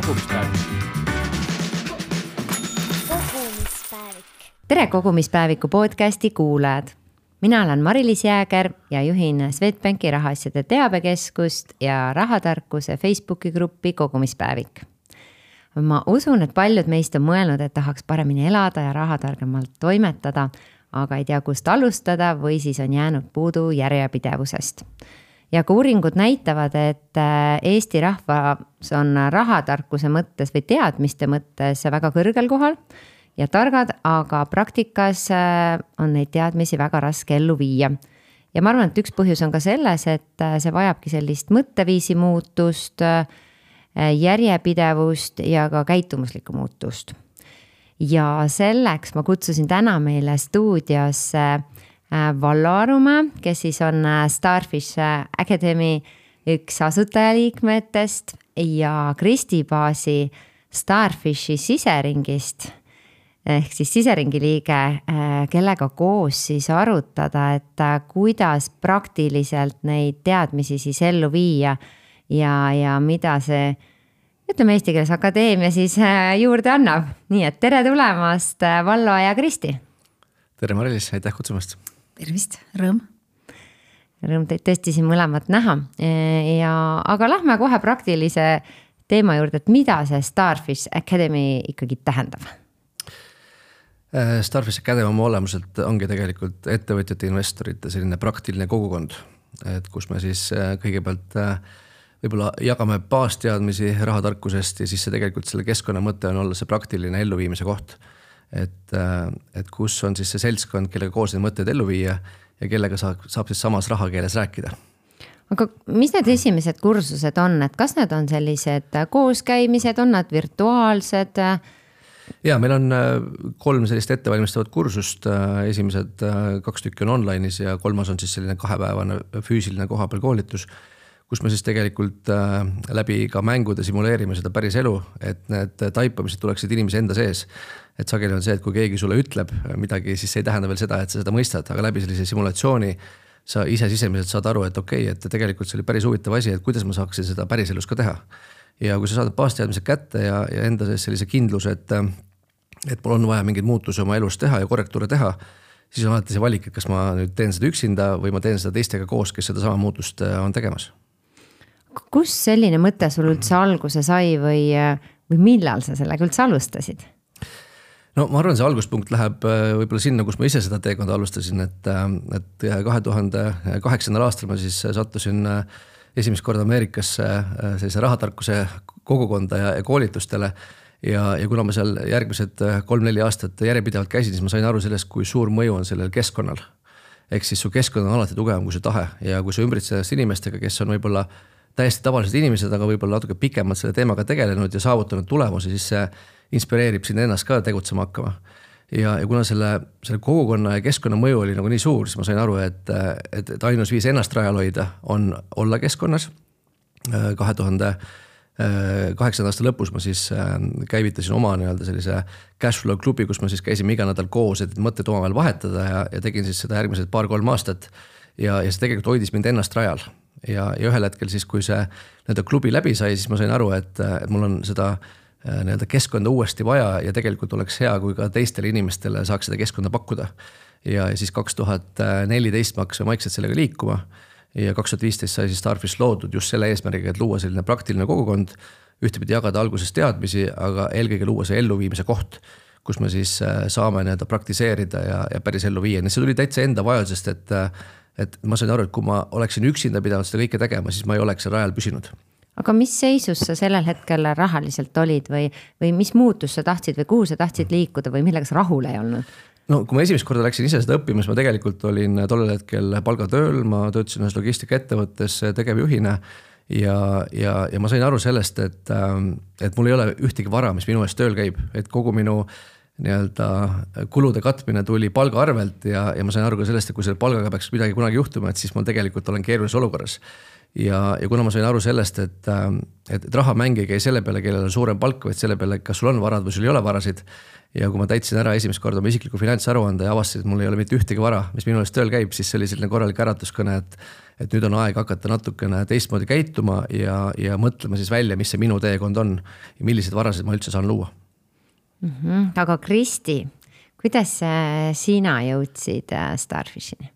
kogumispäevik. Tere kogumispäeviku podcasti kuulajad. Mina olen Mari-Liis Jääger ja juhin Swedbanki rahaasjade teabekeskust ja rahatarkuse Facebooki gruppi Kogumispäevik. Ma usun, et paljud meist on mõelnud, et tahaks paremini elada ja rahatargemalt toimetada, aga ei tea, kust alustada või siis on jäänud puudu järjepidevusest. Ja ka uuringud näitavad, et Eesti rahvas on rahatarkuse mõttes või teadmiste mõttes väga kõrgel kohal ja targad, aga praktikas on neid teadmisi väga raske ellu viia. Ja ma arvan, et üks põhjus on ka selles, et see vajabki sellist mõtteviisi muutust, järjepidevust ja ka käitumuslikku muutust. Ja selleks ma kutsusin täna meile stuudiosse Vallo Arumäe, kes siis on Starfish Academy üks asutajaliikmetest ja Kristi Baasi Starfishi siseringist, ehk siis siseringi liige, kellega koos siis arutada, et kuidas praktiliselt neid teadmisi siis ellu viia ja mida see, ütleme eesti keeles, akadeemia siis juurde annab. Nii et tere tulemast, Vallo ja Kristi. Tere Mari-Liis, aitäh kutsumast. Tervist, rõõm teid tõesti siin mõlemat näha. Aga lähme kohe praktilise teema juurde, et mida see Starfish Academy ikkagi tähendab? Starfish Academy oma olemuselt ongi tegelikult ettevõtjate investorite selline praktiline kogukond, et kus me siis kõigepealt võib-olla jagame baasteadmisi rahatarkusest ja siis see tegelikult selle keskkonna mõte on olla see praktiline elluviimise koht. Et kus on siis see seltskond, kellega koos neid mõtteid ellu viia ja kellega saab siis samas rahakeeles rääkida. Aga mis need esimesed kursused on? Et kas need on sellised kooskäimised, on nad virtuaalsed? Ja meil on 3 sellist ettevalmistavat kursust. Esimesed 2 tükki on online'is ja 3 on siis selline 2-päevane füüsiline kohapeal koolitus, kus me siis tegelikult läbi ka mängude simuleerime seda päris elu, et need taipamised tuleksid inimese enda sees. Et sageli on see, et kui keegi sulle ütleb midagi, siis see ei tähenda veel seda, et sa seda mõistad, aga läbi sellise simulatsiooni sa ise sisemiselt saad aru, et okei, et tegelikult see oli päris huvitav asi, et kuidas ma saaksin seda päris elus ka teha. Ja kui sa saad baasteadmised kätte ja enda sees sellise kindluse, et mul on vaja mingeid muutusi oma elus teha ja korrektuure teha, siis on alati see valik, et kas ma nüüd teen seda üksinda või ma teen seda teistega koos, kes seda sama muutust on tegemas. Kus selline mõte sul üldse alguse sai või millal sa sellega üldse alustasid? No ma arvan, see alguspunkt läheb võib-olla sinna, kus ma ise seda teekonda alustasin, et 2008. aastal ma siis sattusin esimest korda Ameerikasse sellise rahatarkuse kogukonda ja koolitustele ja kuna ma seal järgmised 3-4 aastat järjepidevalt käisin, siis ma sain aru sellest, kui suur mõju on sellel keskkonnal. Ehk siis su keskkond on alati tugevam kui su tahe ja kui sa ümbritsed inimestega, kes on võib-olla täiesti tavalised inimesed, aga võib-olla natuke pikemalt selle teemaga tegelenud ja saavutanud tulemusi, siis see inspireerib sind ennast ka tegutsema hakkama. Ja kuna selle kogukonna ja keskkonna mõju oli nagu nii suur, siis ma sain aru, et ainus viis ennast rajal hoida on olla keskkonnas. 2008. aasta lõpus ma siis käivitasin oma sellise cashflow klubi, kus ma siis käisime iga nädal koos, et mõtted omavahel vahetada ja tegin siis seda järgmised 2-3 aastat ja see tegelikult hoidis mind ennast rajal. Ja ühel hetkel siis, kui see klubi läbi sai, siis ma sain aru, et mul on seda keskkonda uuesti vaja ja tegelikult oleks hea, kui ka teistele inimestele saaks seda keskkonda pakkuda. Ja siis 2014 ma hakkasin vaikselt sellega liikuma ja 2015 sai siis Starfish loodud just selle eesmärgiga, et luua selline praktiline kogukond, ühtepidi jagada alguses teadmisi, aga eelkõige luua see elluviimise koht, kus me siis saame praktiseerida ja päris ellu viia. See tuli täitsa enda vajadusest, et ma sain aru, et kui ma oleksin üksinda pidanud seda kõike tegema, siis ma ei oleks rajal püsinud. Aga mis seisus sa sellel hetkel rahaliselt olid või mis muutus sa tahtsid või kuhu sa tahtsid liikuda või millega sa rahul ei olnud? No kui ma esimest korda läksin ise seda õppima, siis ma tegelikult olin tollel hetkel palgatööl, ma töötasin ühes logistikaettevõttes tegevjuhina ja ma sain aru sellest, et mul ei ole ühtegi vara, mis minu eest tööl käib, et kogu minu kulude katmine tuli palga arvelt ja ma sain aru ka sellest, et kui selle palgaga peaks midagi kunagi juhtuma, et siis ma tegelikult olen keerulises olukorras. ja kuna ma sain aru sellest, et rahamäng ei käi selle peale, kellel on suurem palk, vaid selle peale, kas sul on varad või sul ei ole varasid. Ja kui ma täitsin ära esimest korda oma isikliku finantsaruande ja avastasin, et mul ei ole mitte ühtegi vara, mis minu eest tööl käib, siis see oli selline korralik äratuskõne, et nüüd on aeg hakata natukene teistmoodi käituma ja mõtlema siis välja, mis see minu teekond on ja millised varasid ma üldse saan luua. Aga Kristi, kuidas sina jõudsid Starfishini?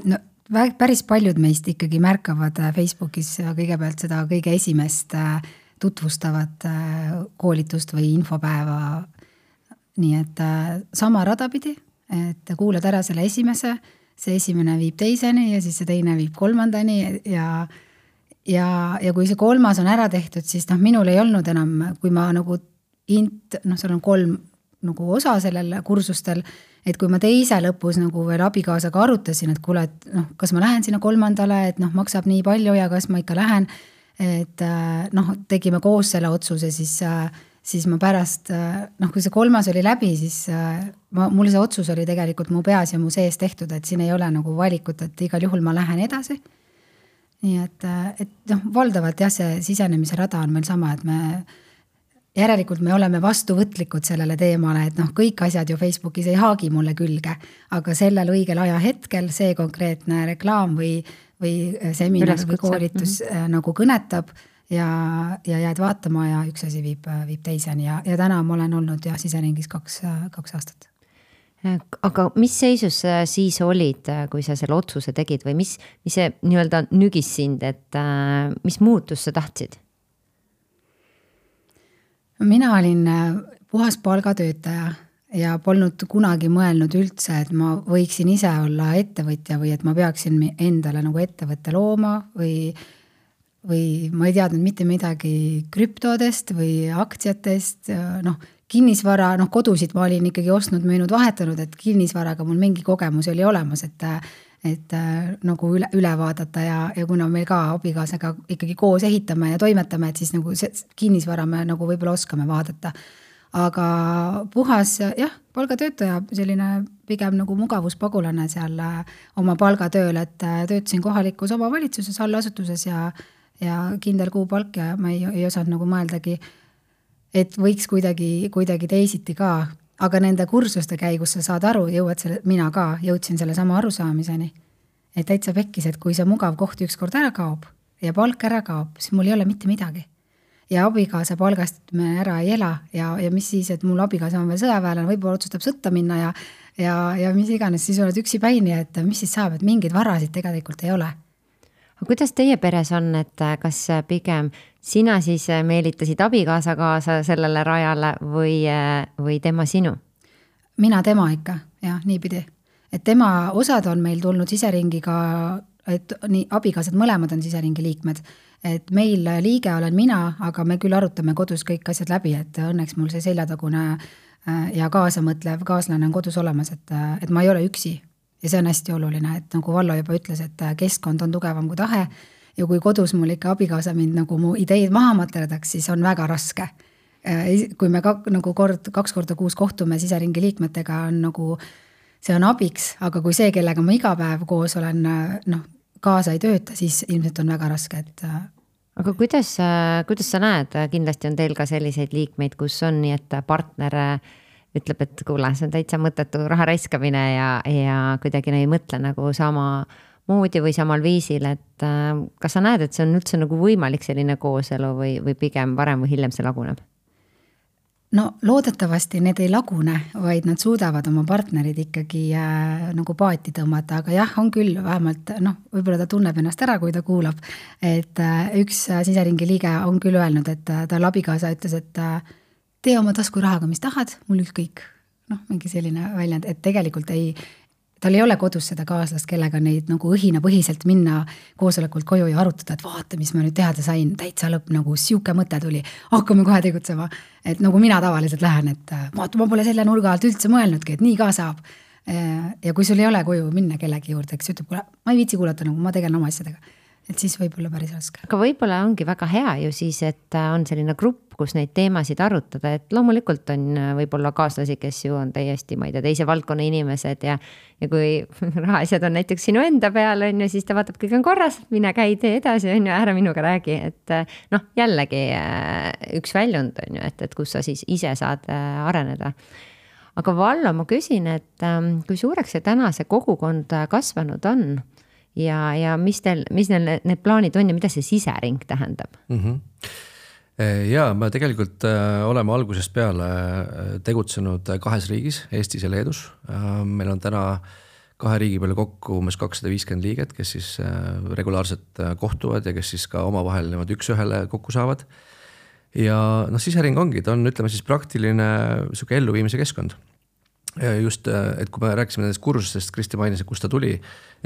No, päris paljud meist ikkagi märkavad Facebookis kõigepealt seda kõige esimest tutvustavat koolitust või infopäeva. Nii et sama radapidi, et kuulad ära selle esimese, see esimene viib teiseni ja siis see teine viib kolmandani ja kui see kolmas on ära tehtud, siis minul ei olnud enam, kui ma nagu seal on 3 nagu osa sellel kursustel, et kui ma teise lõpus nagu veel abikaasaga arutasin, et kuule, et kas ma lähen sinna 3. et maksab nii palju ja kas ma ikka lähen, et tegime koos selle otsuse, siis ma pärast, kui see 3. oli läbi, siis mul see otsus oli tegelikult mu peas ja mu sees tehtud, et siin ei ole nagu valikut, et igal juhul ma lähen edasi. Nii et valdavalt jah, see sisenemise rada on meil sama, et järelikult me oleme vastuvõtlikud sellele teemale, et kõik asjad ju Facebookis ei haagi mulle külge, aga sellel õigel ajahetkel see konkreetne reklaam või seminar või koolitus nagu kõnetab ja jääd vaatama ja üks asi viib teiseni ja täna ma olen olnud siseringis 2 aastat. Aga mis seisus siis olid, kui sa selle otsuse tegid või mis see nii-öelda nügis sind, et mis muutus sa tahtsid? Mina olin puhas palgatöötaja ja polnud kunagi mõelnud üldse, et ma võiksin ise olla ettevõtja või et ma peaksin endale nagu ettevõtte looma või ma ei teadnud mitte midagi krüptodest või aktsiatest, kinnisvara, kodusid ma olin ikkagi ostnud, müünud, vahetanud, et kinnisvaraga mul mingi kogemus oli olemas, et nagu üle vaadata ja kuna meil ka abikaasaga ikkagi koos ehitame ja toimetame, et siis nagu kinnisvara me nagu võib-olla oskame vaadata. Aga puhas, palgatöötaja, selline pigem nagu mugavuspagulane seal oma palgatööl, et töötasin kohalikus omavalitsuses, allasutuses ja kindel kuupalk ja ma ei osanud nagu mõeldagi, et võiks kuidagi teisiti ka. Aga nende kursuste käigus sa saad aru, mina ka jõudsin selle sama arusaamiseni, et täitsa pekkis, et kui see mugav koht ükskord ära kaob ja palk ära kaob, siis mul ei ole mitte midagi. Ja abikaasa palgast me ära ei ela ja mis siis, et mul abikaasa on veel sõjaväelane, võib-olla otsustab sõtta minna ja mis iganes, siis oled üksi päini, et mis siis saab, et mingeid varasid tegelikult ei ole. Aga kuidas teie peres on, et kas pigem sina siis meelitasid abikaasa kaasa sellele rajale või tema sinu? Mina tema ikka, niipidi. Et tema osad on meil tulnud siseringiga, et nii abikaasad mõlemad on siseringi liikmed. Et meil liige olen mina, aga me küll arutame kodus kõik asjad läbi, et õnneks mul see seljatagune ja kaasamõtlev kaaslane on kodus olemas, et ma ei ole üksi. Ja see on hästi oluline, et nagu Vallo juba ütles, et keskkond on tugevam kui tahe ja kui kodus mul ikka abikaasa mind nagu mu ideid maha materdaks, siis on väga raske. Kui me nagu 2 korda kuus kohtume siseringi liikmetega, on nagu, see on abiks, aga kui see, kellega ma iga päev koos olen, kaasa ei tööta, siis ilmselt on väga raske. Aga kuidas sa näed, kindlasti on teil ka selliseid liikmeid, kus on nii, et partner ütleb, et kuule, see on täitsa mõttetu raha raiskamine ja kuidagi ei mõtle nagu sama moodi või samal viisil, et kas sa näed, et see on üldse nagu võimalik selline kooselu või pigem varem või hiljem see laguneb? No loodetavasti need ei lagune, vaid nad suudavad oma partnerid ikkagi nagu paati tõmmata, aga jah, on küll vähemalt, võib-olla ta tunneb ennast ära, kui ta kuulab, et üks siseringi liige on küll öelnud, et tal abikaasa ütles, et tee oma tasku rahaga, mis tahad, mul ükskõik. Mingi selline väljend, et tegelikult tal ei ole kodus seda kaaslast, kellega neid nagu õhinapõhiselt minna koosolekult koju ja arutada, et vaata, mis ma nüüd teada sain, täitsa lõpp, nagu siuke mõte tuli, hakkame kohe tegutsema. Et nagu mina tavaliselt lähen, et vaata, ma pole selle nurga alt üldse mõelnudki, et nii ka saab. Ja kui sul ei ole koju minna kellegi juurde, kes ütleb, ma ei viitsi kuulata, nagu ma tegelen oma asjadega. et siis võib olla päris raske. Aga võib-olla ongi väga hea ju siis, et on selline grupp, kus neid teemasid arutada, et loomulikult on võib-olla kaaslasi, kes ju on täiesti, ma ei tea, teise valdkonna inimesed ja kui rahaasjad on näiteks sinu enda peal, on ju, siis ta vaatab, kõik on korras, mine käi tee edasi, on ju, ära minuga räägi, et noh, jällegi üks väljund on ju, et kus sa siis ise saad areneda. Aga Vallo, ma küsin, et kui suureks see täna see kogukond kasvanud on ja mis neil need plaanid on ja mida see sisering tähendab? Ja me tegelikult oleme algusest peale tegutsenud 2 riigis, Eestis ja Leedus. Meil on täna 2 riigi peale kokku umbes 250 liiget, kes siis regulaarselt kohtuvad ja kes siis ka omavahel üks-ühele kokku saavad. Ja sisering ongi, ta on, ütleme siis praktiline selline elluviimise keskkond. Just, et kui me rääkisime nendest kursustest, Kristi mainis, kust ta tuli,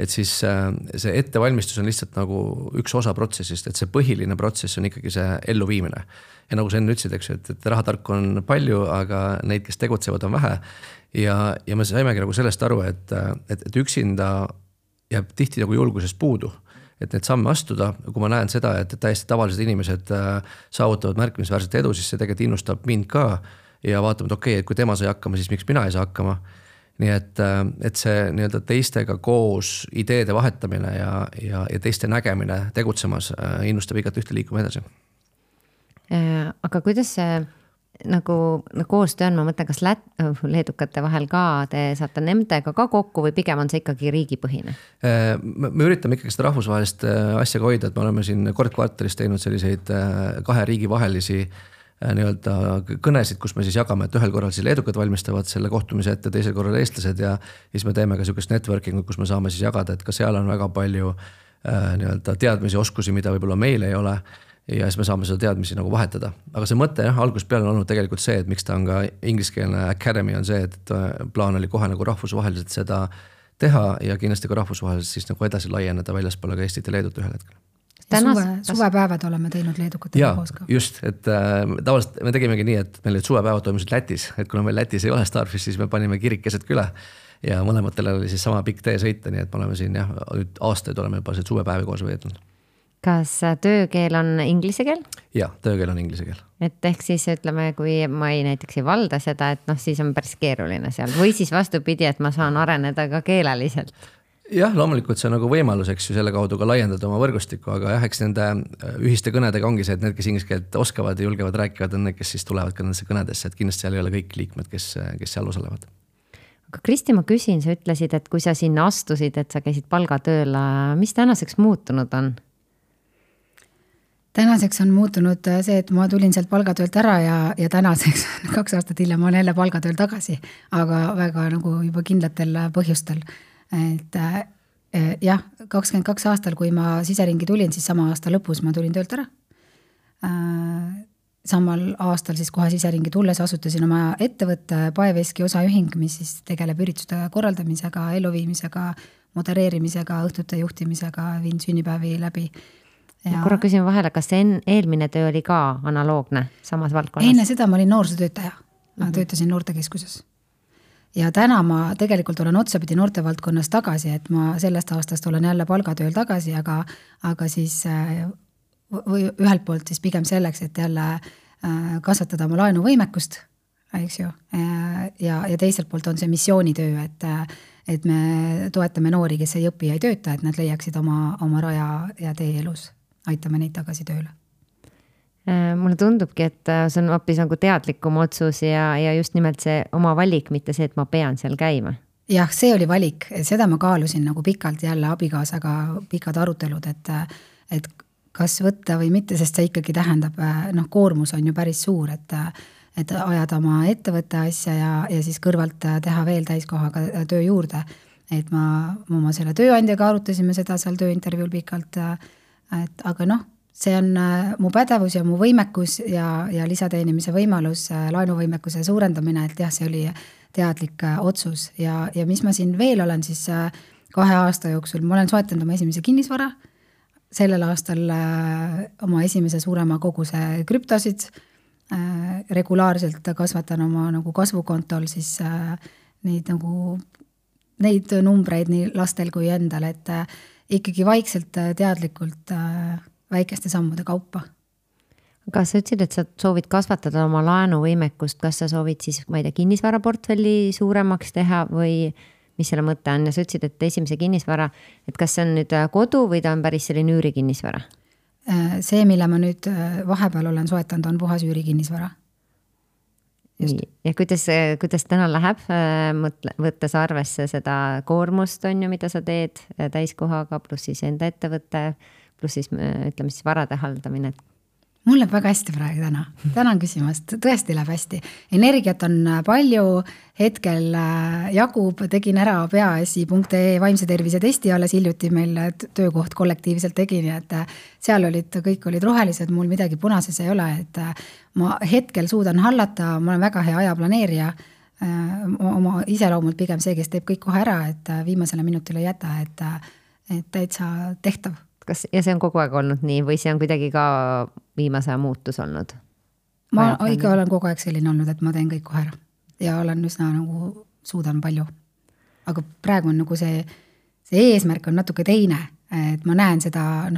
et siis see ettevalmistus on lihtsalt nagu üks osa protsessist, et see põhiline protsess on ikkagi see elluviimine. Ja nagu sa enne ütlesid, eks, et rahatarku on palju, aga neid, kes tegutsevad, on vähe. Ja me saimegi nagu sellest aru, et üksinda jääb tihti nagu julgusest puudu. Et need samme astuda, kui ma näen seda, et täiesti tavalised inimesed saavutavad märkimisväärset edu, siis see tegelikult innustab mind ka ja vaatame, et okei, et kui tema sai hakkama, siis miks mina ei saa hakkama. Nii et see nii-öelda teistega koos ideede vahetamine ja teiste nägemine tegutsemas innustab igat ühte liikuma edasi. Aga kuidas see nagu koostöö on, ma mõtlen, kas leedukate vahel ka te saate nendega ka kokku või pigem on see ikkagi riigipõhine? Me üritame ikkagi seda rahvusvahelist asja hoida, et me oleme siin kord kvartalis teinud selliseid 2 riigi vahelisi nii-öelda kõnesid, kus me siis jagame, et ühel korral siis leedukad valmistavad selle kohtumise ette, teisel korral eestlased ja siis me teeme ka sellist networkingut, kus me saame siis jagada, et ka seal on väga palju nii-öelda teadmisi, oskusi, mida võib-olla meil ei ole ja siis me saame seda teadmisi nagu vahetada. Aga see mõte algusest peale on olnud tegelikult see, et miks ta on ka ingliskeelne academy on see, et plaan oli kohe nagu rahvusvaheliselt seda teha ja kindlasti ka rahvusvaheliselt siis nagu edasi laieneda väljaspoole ka Eestit ja Leedut ühel hetkel. Suvepäevad oleme teinud leedukatega koos ka. Just, et tavaliselt me tegimegi nii, et meil suvepäevad toimusid Lätis, et kuna meil Lätis ei ole Starfish, siis me panime kirik keset küla ja mõlematel oli siis sama pikk tee sõita, nii et me oleme siin nüüd aastaid oleme juba suvepäevi koos veetnud. Kas töökeel on inglise keel? Ja, töökeel on inglise keel. Et ehk siis ütleme, kui ma näiteks ei valda seda, et siis on päris keeruline seal või siis vastupidi, et ma saan areneda ka keeleliselt. Jah, loomulikult see on nagu võimalus, eks ju, selle kaudu ka laiendada oma võrgustikku, aga jah, eks nende ühiste kõnedega ongi see, et need, kes inglise keelt oskavad ja julgevad rääkivad, on need, kes siis tulevad ka nendesse kõnedesse, et kindlasti seal ei ole kõik liikmed, kes seal osalevad. Aga Kristi, ma küsin, sa ütlesid, et kui sa sinna astusid, et sa käisid palgatööl, mis tänaseks muutunud on? Tänaseks on muutunud see, et ma tulin sealt palgatöölt ära ja tänaseks 2 aastat hiljem ma olen jälle palgatööl tagasi, aga väga nagu juba kindlatel põhjustel. Et jah, 22 aastal, kui ma siseringi tulin, siis sama aasta lõpus ma tulin töölt ära. Samal aastal siis kohe siseringi tulles asutasin oma ettevõtte Paeveski osaühing, mis siis tegeleb ürituste korraldamisega, elluviimisega, modereerimisega, õhtute juhtimisega, viin sünnipäevi läbi. Ja korra küsin vahele, kas eelmine töö oli ka analoogne samas valdkonnas? Enne seda ma olin noorsootöötaja, ma töötasin noortekeskuses. Ja täna ma tegelikult olen otsapidi noortevaldkonnas tagasi, et ma sellest aastast olen jälle palgatööl tagasi, aga siis või ühelt poolt siis pigem selleks, et jälle kasvatada oma laenuvõimekust, eks ju, ja teiselt poolt on see missioonitöö, et me toetame noori, kes ei õpi ja ei tööta, et nad leiaksid oma raja ja tee elus, aitame neid tagasi tööle. Mulle tundubki, et see on hoopis nagu teadlikum otsus ja just nimelt see oma valik, mitte see, et ma pean seal käima. Jah, see oli valik, seda ma kaalusin nagu pikalt jälle abikaasaga pikad arutelud, et kas võtta või mitte, sest see ikkagi tähendab, koormus on ju päris suur, et ajada oma ettevõtte asja ja siis kõrvalt teha veel täiskohaga töö juurde. Et ma oma selle tööandjaga arutasime seda seal tööintervjuul pikalt, aga see on mu pädevus ja mu võimekus ja lisateenimise võimalus, laenuvõimekuse suurendamine, et jah, see oli teadlik otsus ja mis ma siin veel olen siis 2 aasta jooksul, ma olen soetanud oma esimese kinnisvara, sellel aastal oma esimese suurema koguse krüptosid, regulaarselt kasvatan oma nagu kasvukontol siis neid nagu neid numbreid nii lastel kui endal, et ikkagi vaikselt teadlikult väikeste sammude kaupa. Aga sa ütlesid, et sa soovid kasvatada oma laenuvõimekust, kas sa soovid siis, ma ei tea, kinnisvaraportfelli suuremaks teha või mis selle mõte on? Ja sa ütlesid, et esimese kinnisvara, et kas see on nüüd kodu või ta on päris selline üürikinnisvara? See, mille ma nüüd vahepeal olen soetanud, on puhas üürikinnisvara. Ja kuidas täna läheb, võttes arvesse seda koormust on ju, mida sa teed täiskohaga, pluss siis enda ettevõtte, pluss siis ütleme siis varade haldamine? Mul läheb väga hästi praegu tänan küsimast, tõesti läheb hästi. Energiat on palju, hetkel jagub, tegin ära peaasi.ee vaimse tervise testi alles hiljuti meil töökoht kollektiivselt tegin, et seal kõik olid rohelised, mul midagi punases ei ole, et ma hetkel suudan hallata, ma olen väga hea ajaplaneerija, oma iseloomult pigem see, kes teeb kõik kohe ära, et viimasele minutile ei jäta, et täitsa tehtav. Ja see on kogu aeg olnud nii või see on kuidagi ka viimase muutus olnud? Ma ikka olen kogu aeg selline olnud, et ma teen kõik kohe ära ja olen üsna nagu suudan palju. Aga praegu on nagu see eesmärk on natuke teine, et ma näen seda,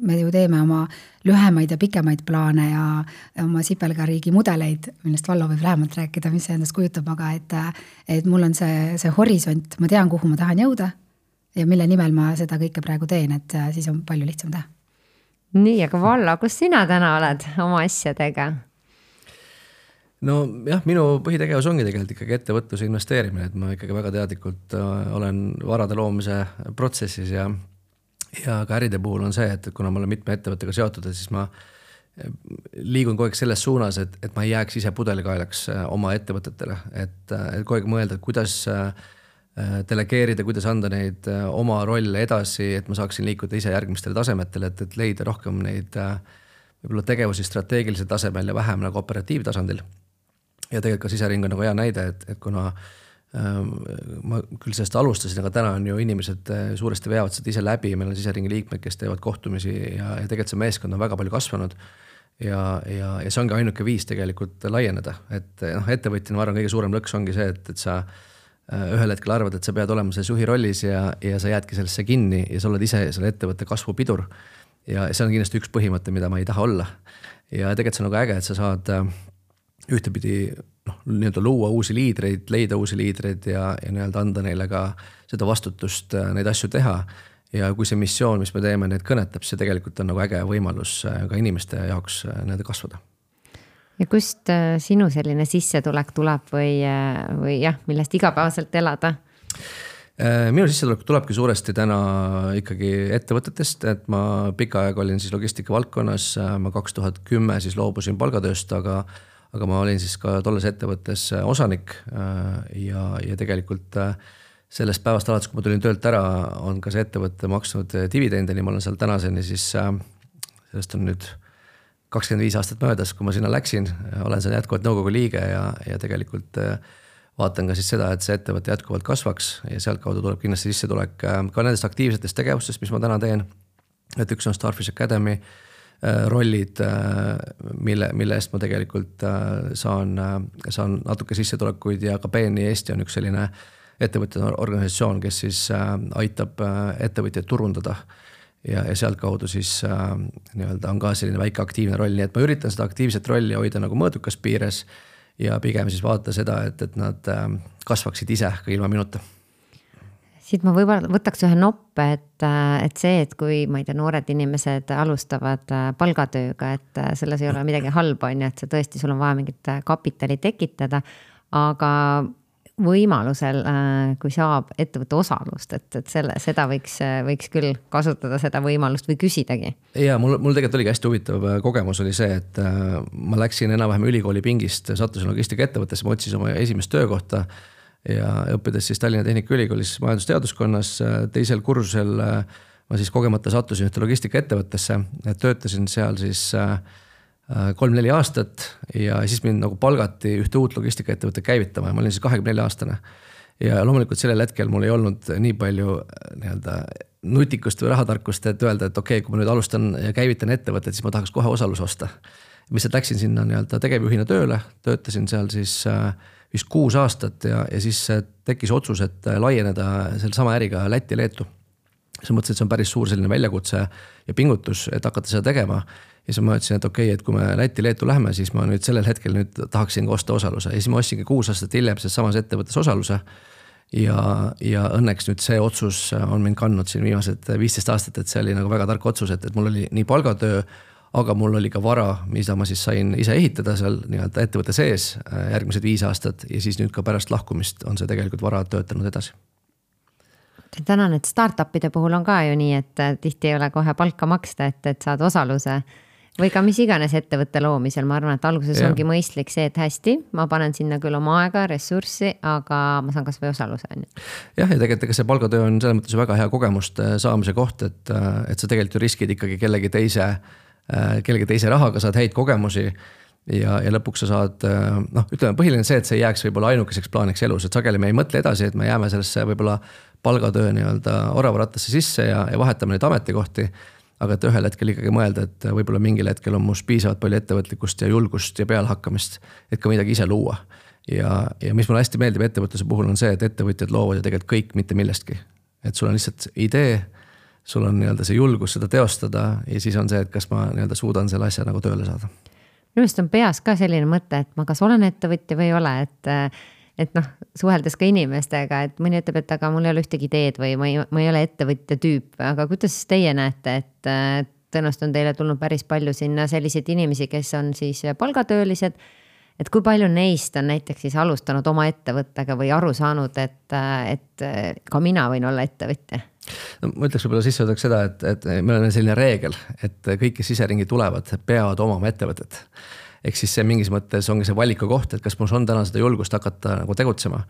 me ju teeme oma lühemaid ja pikemaid plaane ja oma sipelgariigi mudeleid, millest Vallo võib lähemalt rääkida, mis see endast kujutab, aga et mul on see horisont, ma tean, kuhu ma tahan jõuda ja mille nimel ma seda kõike praegu teen, et siis on palju lihtsam teha. Nii, aga Vallo, kus sina täna oled oma asjadega? No jah, minu põhitegevus ongi tegelikult ikkagi ettevõtluse investeerimine, et ma ikkagi väga teadlikult olen varade loomise protsessis ja ka äride puhul on see, et kuna ma olen mitme ettevõttega seotud, siis ma liigun kogu aeg selles suunas, et ma ei jääks ise pudelikaelaks oma ettevõtetele, et kogu aeg mõelda, kuidas delegeerida, kuidas anda neid oma rolle edasi, et ma saaksin liikuda ise järgmistele tasemetele, et leida rohkem neid võib-olla tegevusi strateegilisel tasemel ja vähem nagu operatiivtasandil. Ja tegelikult ka sisering on nagu hea näide, et kuna ma küll sellest alustasin, aga täna on ju inimesed suuresti veavad seda ise läbi, meil on siseringi liikmed, kes teevad kohtumisi ja tegelikult see meeskond on väga palju kasvanud ja see ongi ainuke viis tegelikult laieneda, et ettevõtjana ma arvan, kõige suurem lõks ongi see, et sa ühel hetkel arvad, et sa pead olema selles juhi rollis ja sa jäädki sellesse kinni ja sa oled ise selle ettevõtte kasvupidur ja see on kindlasti üks põhimõte, mida ma ei taha olla ja tegelikult see on nagu äge, et sa saad ühtepidi nii-öelda luua uusi liidreid, leida uusi liidreid ja nii-öelda anda neile ka seda vastutust neid asju teha ja kui see missioon, mis me teeme, neid kõnetab, see tegelikult on nagu äge võimalus ka inimeste jaoks nende kasvada. Ja kust sinu selline sissetulek tuleb või jah, millest igapäevaselt elada? Minu sissetulek tulebki suuresti täna ikkagi ettevõtetest, et ma pika aeg olin siis logistika valdkonnas, ma 2010 siis loobusin palgatööst, aga ma olin siis ka tolles ettevõttes osanik ja tegelikult sellest päevast alates, kui ma tulin töölt ära, on ka see ettevõtte maksnud dividendini, ma olen seal tänaseni siis, sellest on nüüd 25 aastat möödas, kui ma sinna läksin, olen seal jätkuvalt nõukogu liige ja tegelikult vaatan ka siis seda, et see ettevõte jätkuvalt kasvaks ja sealt kaudu tuleb kindlasti sissetulek ka nendest aktiivsetest tegevustest, mis ma täna teen. Et üks on Starfish Academy rollid, mille eest ma tegelikult saan natuke sissetulekuid ja ka BNI Eesti on üks selline ettevõtjate organisatsioon, kes siis aitab ettevõtjaid turundada ja sealt kaudu siis nii-öelda on ka selline väike aktiivne roll, nii et ma üritan seda aktiivset rolli hoida nagu mõõdukas piires ja pigem siis vaadata seda, et nad kasvaksid ise ka ilma minuta. Siit ma võib-olla võtaks ühe noppe, et see, et kui ma ei tea, noored inimesed alustavad palgatööga, et selles ei ole midagi halba, et see tõesti, sul on vaja mingit kapitali tekitada, aga võimalusel, kui saab ettevõtte osalust, et seda võiks küll kasutada seda võimalust või küsidagi. Ja mul tegelikult oligi hästi huvitav kogemus oli see, et ma läksin enam-vähem ülikooli pingist, sattusin logistika ettevõttesse, ma otsin oma esimest töökohta ja õppides siis Tallinna Tehnikaülikoolis majandusteaduskonnas teisel kursusel ma siis kogemata sattusin ühte logistika ettevõttesse, töötasin seal siis 3-4 aastat ja siis mind nagu palgati ühte uut logistikaettevõtte käivitama ja ma olin siis 24 aastane. Ja loomulikult sellel hetkel mul ei olnud nii palju nii-öelda nutikust või rahatarkust, et öelda, et okei, kui ma nüüd alustan ja käivitan ettevõtet, siis ma tahaks kohe osalus osta. Mis läksin sinna nii-öelda tegevjuhina tööle, töötasin seal siis vist 6 aastat ja siis tekkis otsus, et laieneda selle sama äriga Lätti ja Leetu. Siis mõtlesin, et see on päris suur selline väljakutse ja pingutus, et hakata seda tegema. Ja siis ma ütlesin, et okei, et kui me Lätti Leetu läheme, siis ma nüüd sellel hetkel nüüd tahaksin osta osaluse. Ja siis ma ostsingi 6 aastat hiljem selles samas ettevõttes osaluse. Ja õnneks nüüd see otsus on mind kandnud siin viimased 15 aastat, et see oli nagu väga tark otsus, et mul oli nii palgatöö, aga mul oli ka vara, mida ma siis sain ise ehitada seal nii-öelda ettevõtte sees järgmised 5 aastat ja siis nüüd ka pärast lahkumist on see tegelikult vara töötanud edasi. Tänan, et startupide puhul on ka ju nii, et tihti ei ole kohe palka maksta, et saad osaluse või ka mis iganes ettevõtte loomisel. Ma arvan, et alguses ongi mõistlik see, et hästi, ma panen sinna küll oma aega, ressurssi, aga ma saan kas või osaluse. Jah, ja tegelikult see palgatöö on selles mõttes väga hea kogemust saamise koht, et sa tegelikult ju riskid ikkagi kellegi teise rahaga, saad häid kogemusi ja lõpuks sa saad, ütleme põhiline see, et see jääks võib-olla ainukeseks plaaniks elus, et sageli me ei mõtle edasi, et me jääme sellesse võib-olla palgatöö nii-öelda oravarattasse sisse ja vahetame neid ametikohti, aga et ühel hetkel ikkagi mõelda, et võib-olla mingil hetkel on must piisavalt palju ettevõtlikkust ja julgust ja pealhakkamist, et ka midagi ise luua. Ja mis mulle hästi meeldib ettevõtluse puhul on see, et ettevõtjad loovad ju tegelikult kõik mitte millestki. Et sul on lihtsalt idee, sul on nii-öelda see julgus seda teostada ja siis on see, et kas ma nii-öelda suudan selle asja nagu tööle saada. Minu meelest on peas ka selline mõte, et ma kas olen ettevõtja või ei ole, et suheldes ka inimestega, et mõni ütleb, et aga mul ei ole ühtegi ideed või ma ei ole ettevõtja tüüp, aga kuidas teie näete, et tõenäoliselt on teile tulnud päris palju sinna selliseid inimesi, kes on siis palgatöölised, et kui palju neist on näiteks siis alustanud oma ettevõttega või aru saanud, et ka mina võin olla ettevõtja? No, ma ütleks võib-olla sisseõdaks seda, et meil on selline reegel, et kõik, kes siseringi tulevad, peavad omama ettevõtet. Ehk siis see mingis mõttes ongi see valiku koht, et kas mul on täna seda julgust hakata nagu tegutsema.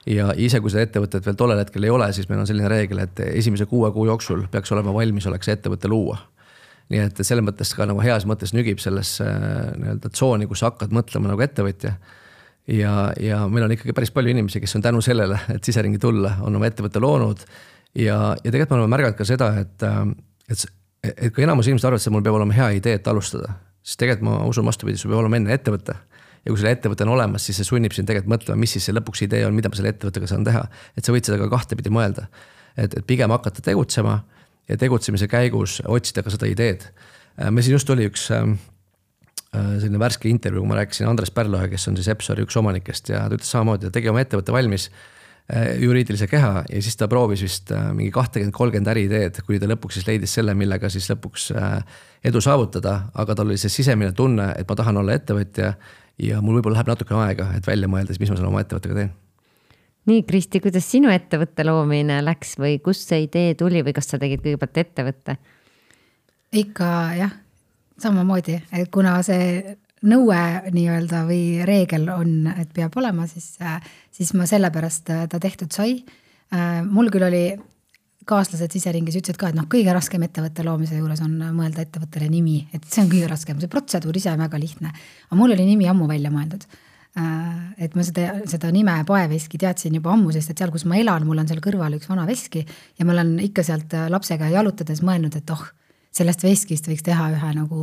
Ja ise, kui seda ettevõtet veel tollel hetkel ei ole, siis meil on selline reegel, et esimese 6 kuu jooksul peaks olema valmis oleks ettevõtte luua. Nii et selles mõttes ka nagu heas mõttes nügib selles nii-öelda tsooni, kus sa hakkad mõtlema nagu ettevõtja. Ja meil on ikkagi päris palju inimesi, kes on tänu sellele, et siseringi tulla, on oma ettevõtte loonud. Ja tegelikult me oleme märganud ka seda, et kui enamus inimesed arvavad, et mul peab olema hea idee, et alustada, siis tegelikult ma usun vastupidi, sul peab olema enne ettevõtte. Ja kui selle ettevõte on olemas, siis see sunnib sind tegelikult mõtlema, mis siis see lõpuks idee on, mida ma selle ettevõttega saan teha. Et sa võid seda ka kahtepidi mõelda. Et pigem hakata tegutsema ja tegutsemise käigus otsida ka seda ideed. Me siin just oli üks selline värske intervjuu, kui ma rääkisin Andres Pärloja, kes on siis Epsori üks omanikest ja ta ütles samamoodi, et tegi oma ettevõtte valmis juriidilise keha ja siis ta proovis vist mingi 20-30 äriideed, kui ta lõpuks siis leidis selle, millega siis lõpuks edu saavutada, aga tal oli see sisemine tunne, et ma tahan olla ettevõtja ja mul võib-olla läheb natuke aega, et välja mõeldes, mis ma selle oma ettevõttega teen. Nii, Kristi, kuidas sinu ettevõtte loomine läks või kust see idee tuli või kas sa tegid kõigepealt ettevõtte? Ikka jah, samamoodi, et kuna see nõue nii-öelda või reegel on, et peab olema, siis ma sellepärast ta tehtud sai. Mul küll oli kaaslased siseringis ütlesid ka, et kõige raskem ettevõtte loomise juures on mõelda ettevõttele nimi, et see on kõige raskem, see protseduur ise on väga lihtne. Aga mul oli nimi ammu välja mõeldud. Et ma seda nime Paeveski teadsin juba ammu, sest et seal, kus ma elan, mul on seal kõrval üks vana veski ja ma olen ikka sealt lapsega jalutades mõelnud, et sellest veskist võiks teha ühe nagu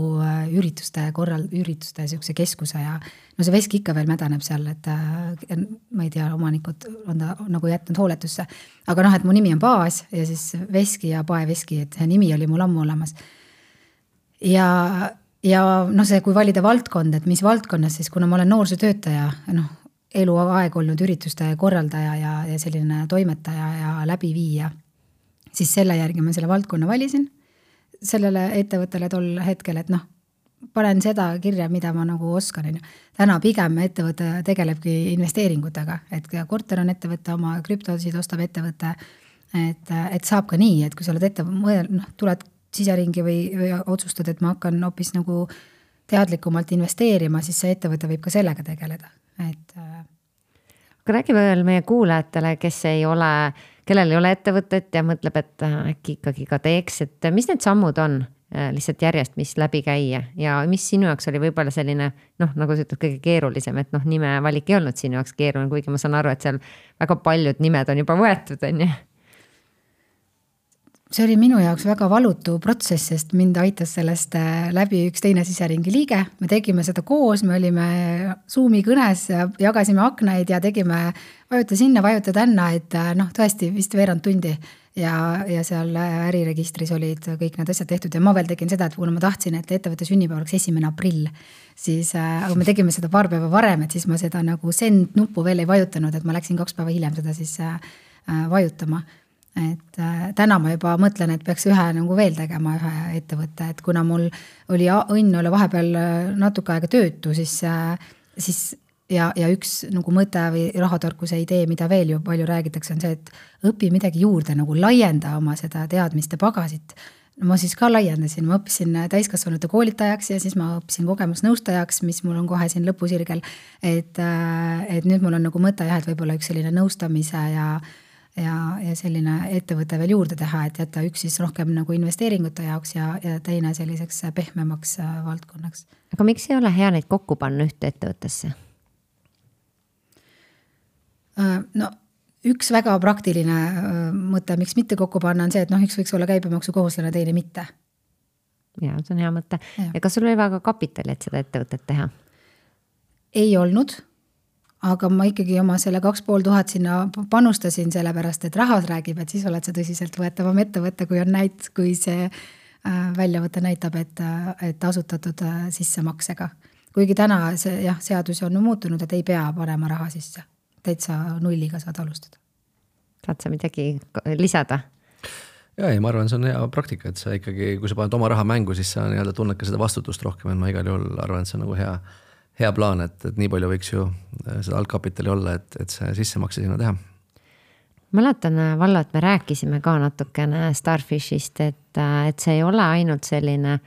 ürituste siukse keskuse ja see veski ikka veel mädaneb seal, et ma ei tea, omanikud on ta nagu jätnud hooletusse. Aga et mu nimi on Paas ja siis Veski ja Paeveski, et see nimi oli mul ammu olemas. Ja see, kui valida valdkond, et mis valdkonnas, siis kuna ma olen noorsootöötaja, eluaeg olnud ürituste korraldaja ja selline toimetaja ja läbiviija, siis selle järgi ma selle valdkonna valisin sellele ettevõttele tol hetkel, et panen seda kirja, mida ma nagu oskan. Täna pigem ettevõte tegelebki investeeringutega, et korter on ettevõtte, oma krüptosid ostab ettevõtte, et saab ka nii, et kui sa oled tuled siseringi või otsustad, et ma hakkan hoopis nagu teadlikumalt investeerima, siis see ettevõte võib ka sellega tegeleda. Aga räägi veel meie kuulajatele, kellel ei ole ettevõtet ja mõtleb, et äkki ikkagi ka teeks, et mis need sammud on lihtsalt järjest, mis läbi käia ja mis sinu jaoks oli võib-olla selline, nagu sa ütled, kõige keerulisem, et nime valik ei olnud sinu jaoks keeruline, kuigi ma saan aru, et seal väga paljud nimed on juba võetud, on ju? see oli minu jaoks väga valutu protsess, sest mind aitas sellest läbi üks teine siseringi liige. Me tegime seda koos, me olime Zoomi kõnes ja jagasime aknaid ja tegime vajuta sinna, vajuta tänna, et tõesti vist veerand tundi. Ja seal äriregistris olid kõik need asjad tehtud ja ma veel tegin seda, et kuna ma tahtsin, et ettevõtte sünnipäev oleks 1. aprill, siis me tegime seda paar päeva varem, et siis ma seda nagu send nuppu veel ei vajutanud, et ma läksin 2 päeva hiljem seda siis vajutama. Et täna ma juba mõtlen, et peaks ühe nagu veel tegema ühe ettevõtte, et kuna mul oli õnn olla vahepeal natuke aega töötu, siis ja üks nagu mõte või rahatarkuse idee, mida veel ju palju räägitakse, on see, et õpi midagi juurde, nagu laienda oma seda teadmiste pagasit. Ma siis ka laiendasin, ma õppisin täiskasvanute koolitajaks ja siis ma õppisin kogemusnõustajaks, mis mul on kohe siin lõpusirgel, et nüüd mul on nagu mõte jah, et võib-olla üks selline nõustamise ja selline ettevõte veel juurde teha, et jätta üks siis rohkem nagu investeeringute jaoks ja teine selliseks pehmemaks valdkonnaks. Aga miks ei ole hea neid kokku panna ühte ettevõttesse? No üks väga praktiline mõte, miks mitte kokku panna, on see, et üks võiks olla käibemaksu kohuslane, teine mitte. Ja, see on hea mõte. Ja kas sul oli väga kapitali, et seda ettevõtet teha? Ei olnud. Aga ma ikkagi oma selle 2500 sinna panustasin sellepärast, et rahas räägib, et siis oled see tõsiselt võetavam ettevõtte, kui see väljavõte näitab, et asutatud sissemaksega. Kuigi täna see seadus on muutunud, et ei pea panema raha sisse. Täitsa nulliga saad alustada. Saad sa midagi lisada? Ja, ma arvan, see on hea praktika, et sa ikkagi, kui sa paned oma raha mängu, siis sa tunned ka seda vastutust rohkem, et ma igal juhul arvan, et see on nagu hea plaan, et nii palju võiks ju seda algkapitali olla, et see sissemakse sinna teha. Mäletan, Vallo, et me rääkisime ka natukene Starfishist, et see ei ole ainult selline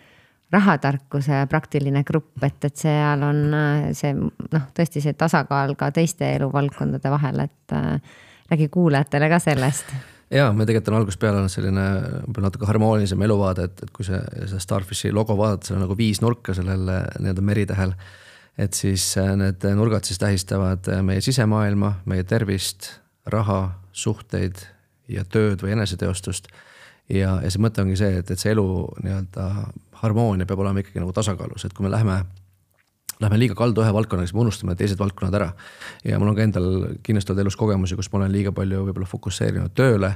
rahatarkuse praktiline grupp, et seal on see, tõesti see tasakaal ka teiste eluvaldkondade vahel, et räägi kuulajatele ka sellest. Ja, me tegelikult on algusest peale olnud selline natuke harmoonilisem eluvaade, et kui see Starfishi logo vaadata, see on nagu 5 nurka sellel meritähel, et siis need nurgad siis tähistavad meie sisemaailma, meie tervist, raha, suhteid ja tööd või eneseteostust. Ja see mõte ongi see, et see elu harmoonia peab olema ikkagi nagu tasakaalus, et kui me lähme liiga kaldu ühe valdkonnaga, siis me unustame teised valdkonnad ära. Ja mul on ka endal kindlasti elus kogemusi, kus ma olen liiga palju võib-olla fokusseerinud tööle.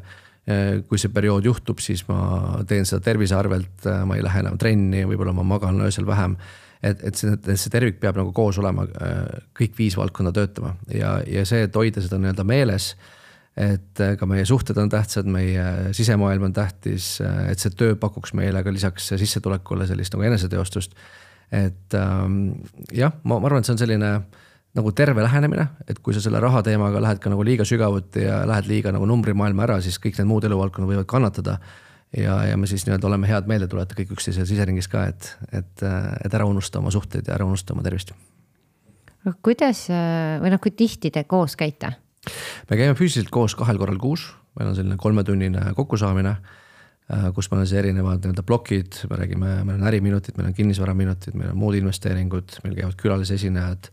Kui see periood juhtub, siis ma teen seda tervise arvelt, ma ei lähe enam trenni, võib-olla ma magan öösel vähem. Et see tervik peab nagu koos olema, kõik 5 valdkonda töötama ja see, et hoida seda meeles, et ka meie suhted on tähtsad, meie sisemaailm on tähtis, et see töö pakuks meile ka lisaks sissetulekule sellist nagu eneseteostust. Et jah, ma arvan, et see on selline nagu terve lähenemine, et kui sa selle raha teemaga lähed ka nagu liiga sügavuti ja lähed liiga nagu numbrimaailma ära, siis kõik need muud eluvaldkonnad võivad kannatada. Ja me siis oleme head meelde tuleta kõik üksteise siseringis ka, et ära unustada oma suhteid ja ära unustada oma tervist. Kuidas või kui tihti te koos käite? Me käime füüsiliselt koos 2 korral kuus. Meil on selline 3-tunnine kokkusaamine, kus meil on see erinevad blokid. Meil on äriminutid, meil on kinnisvaraminutid, meil on muud investeeringud, meil käivad külalisesinejad.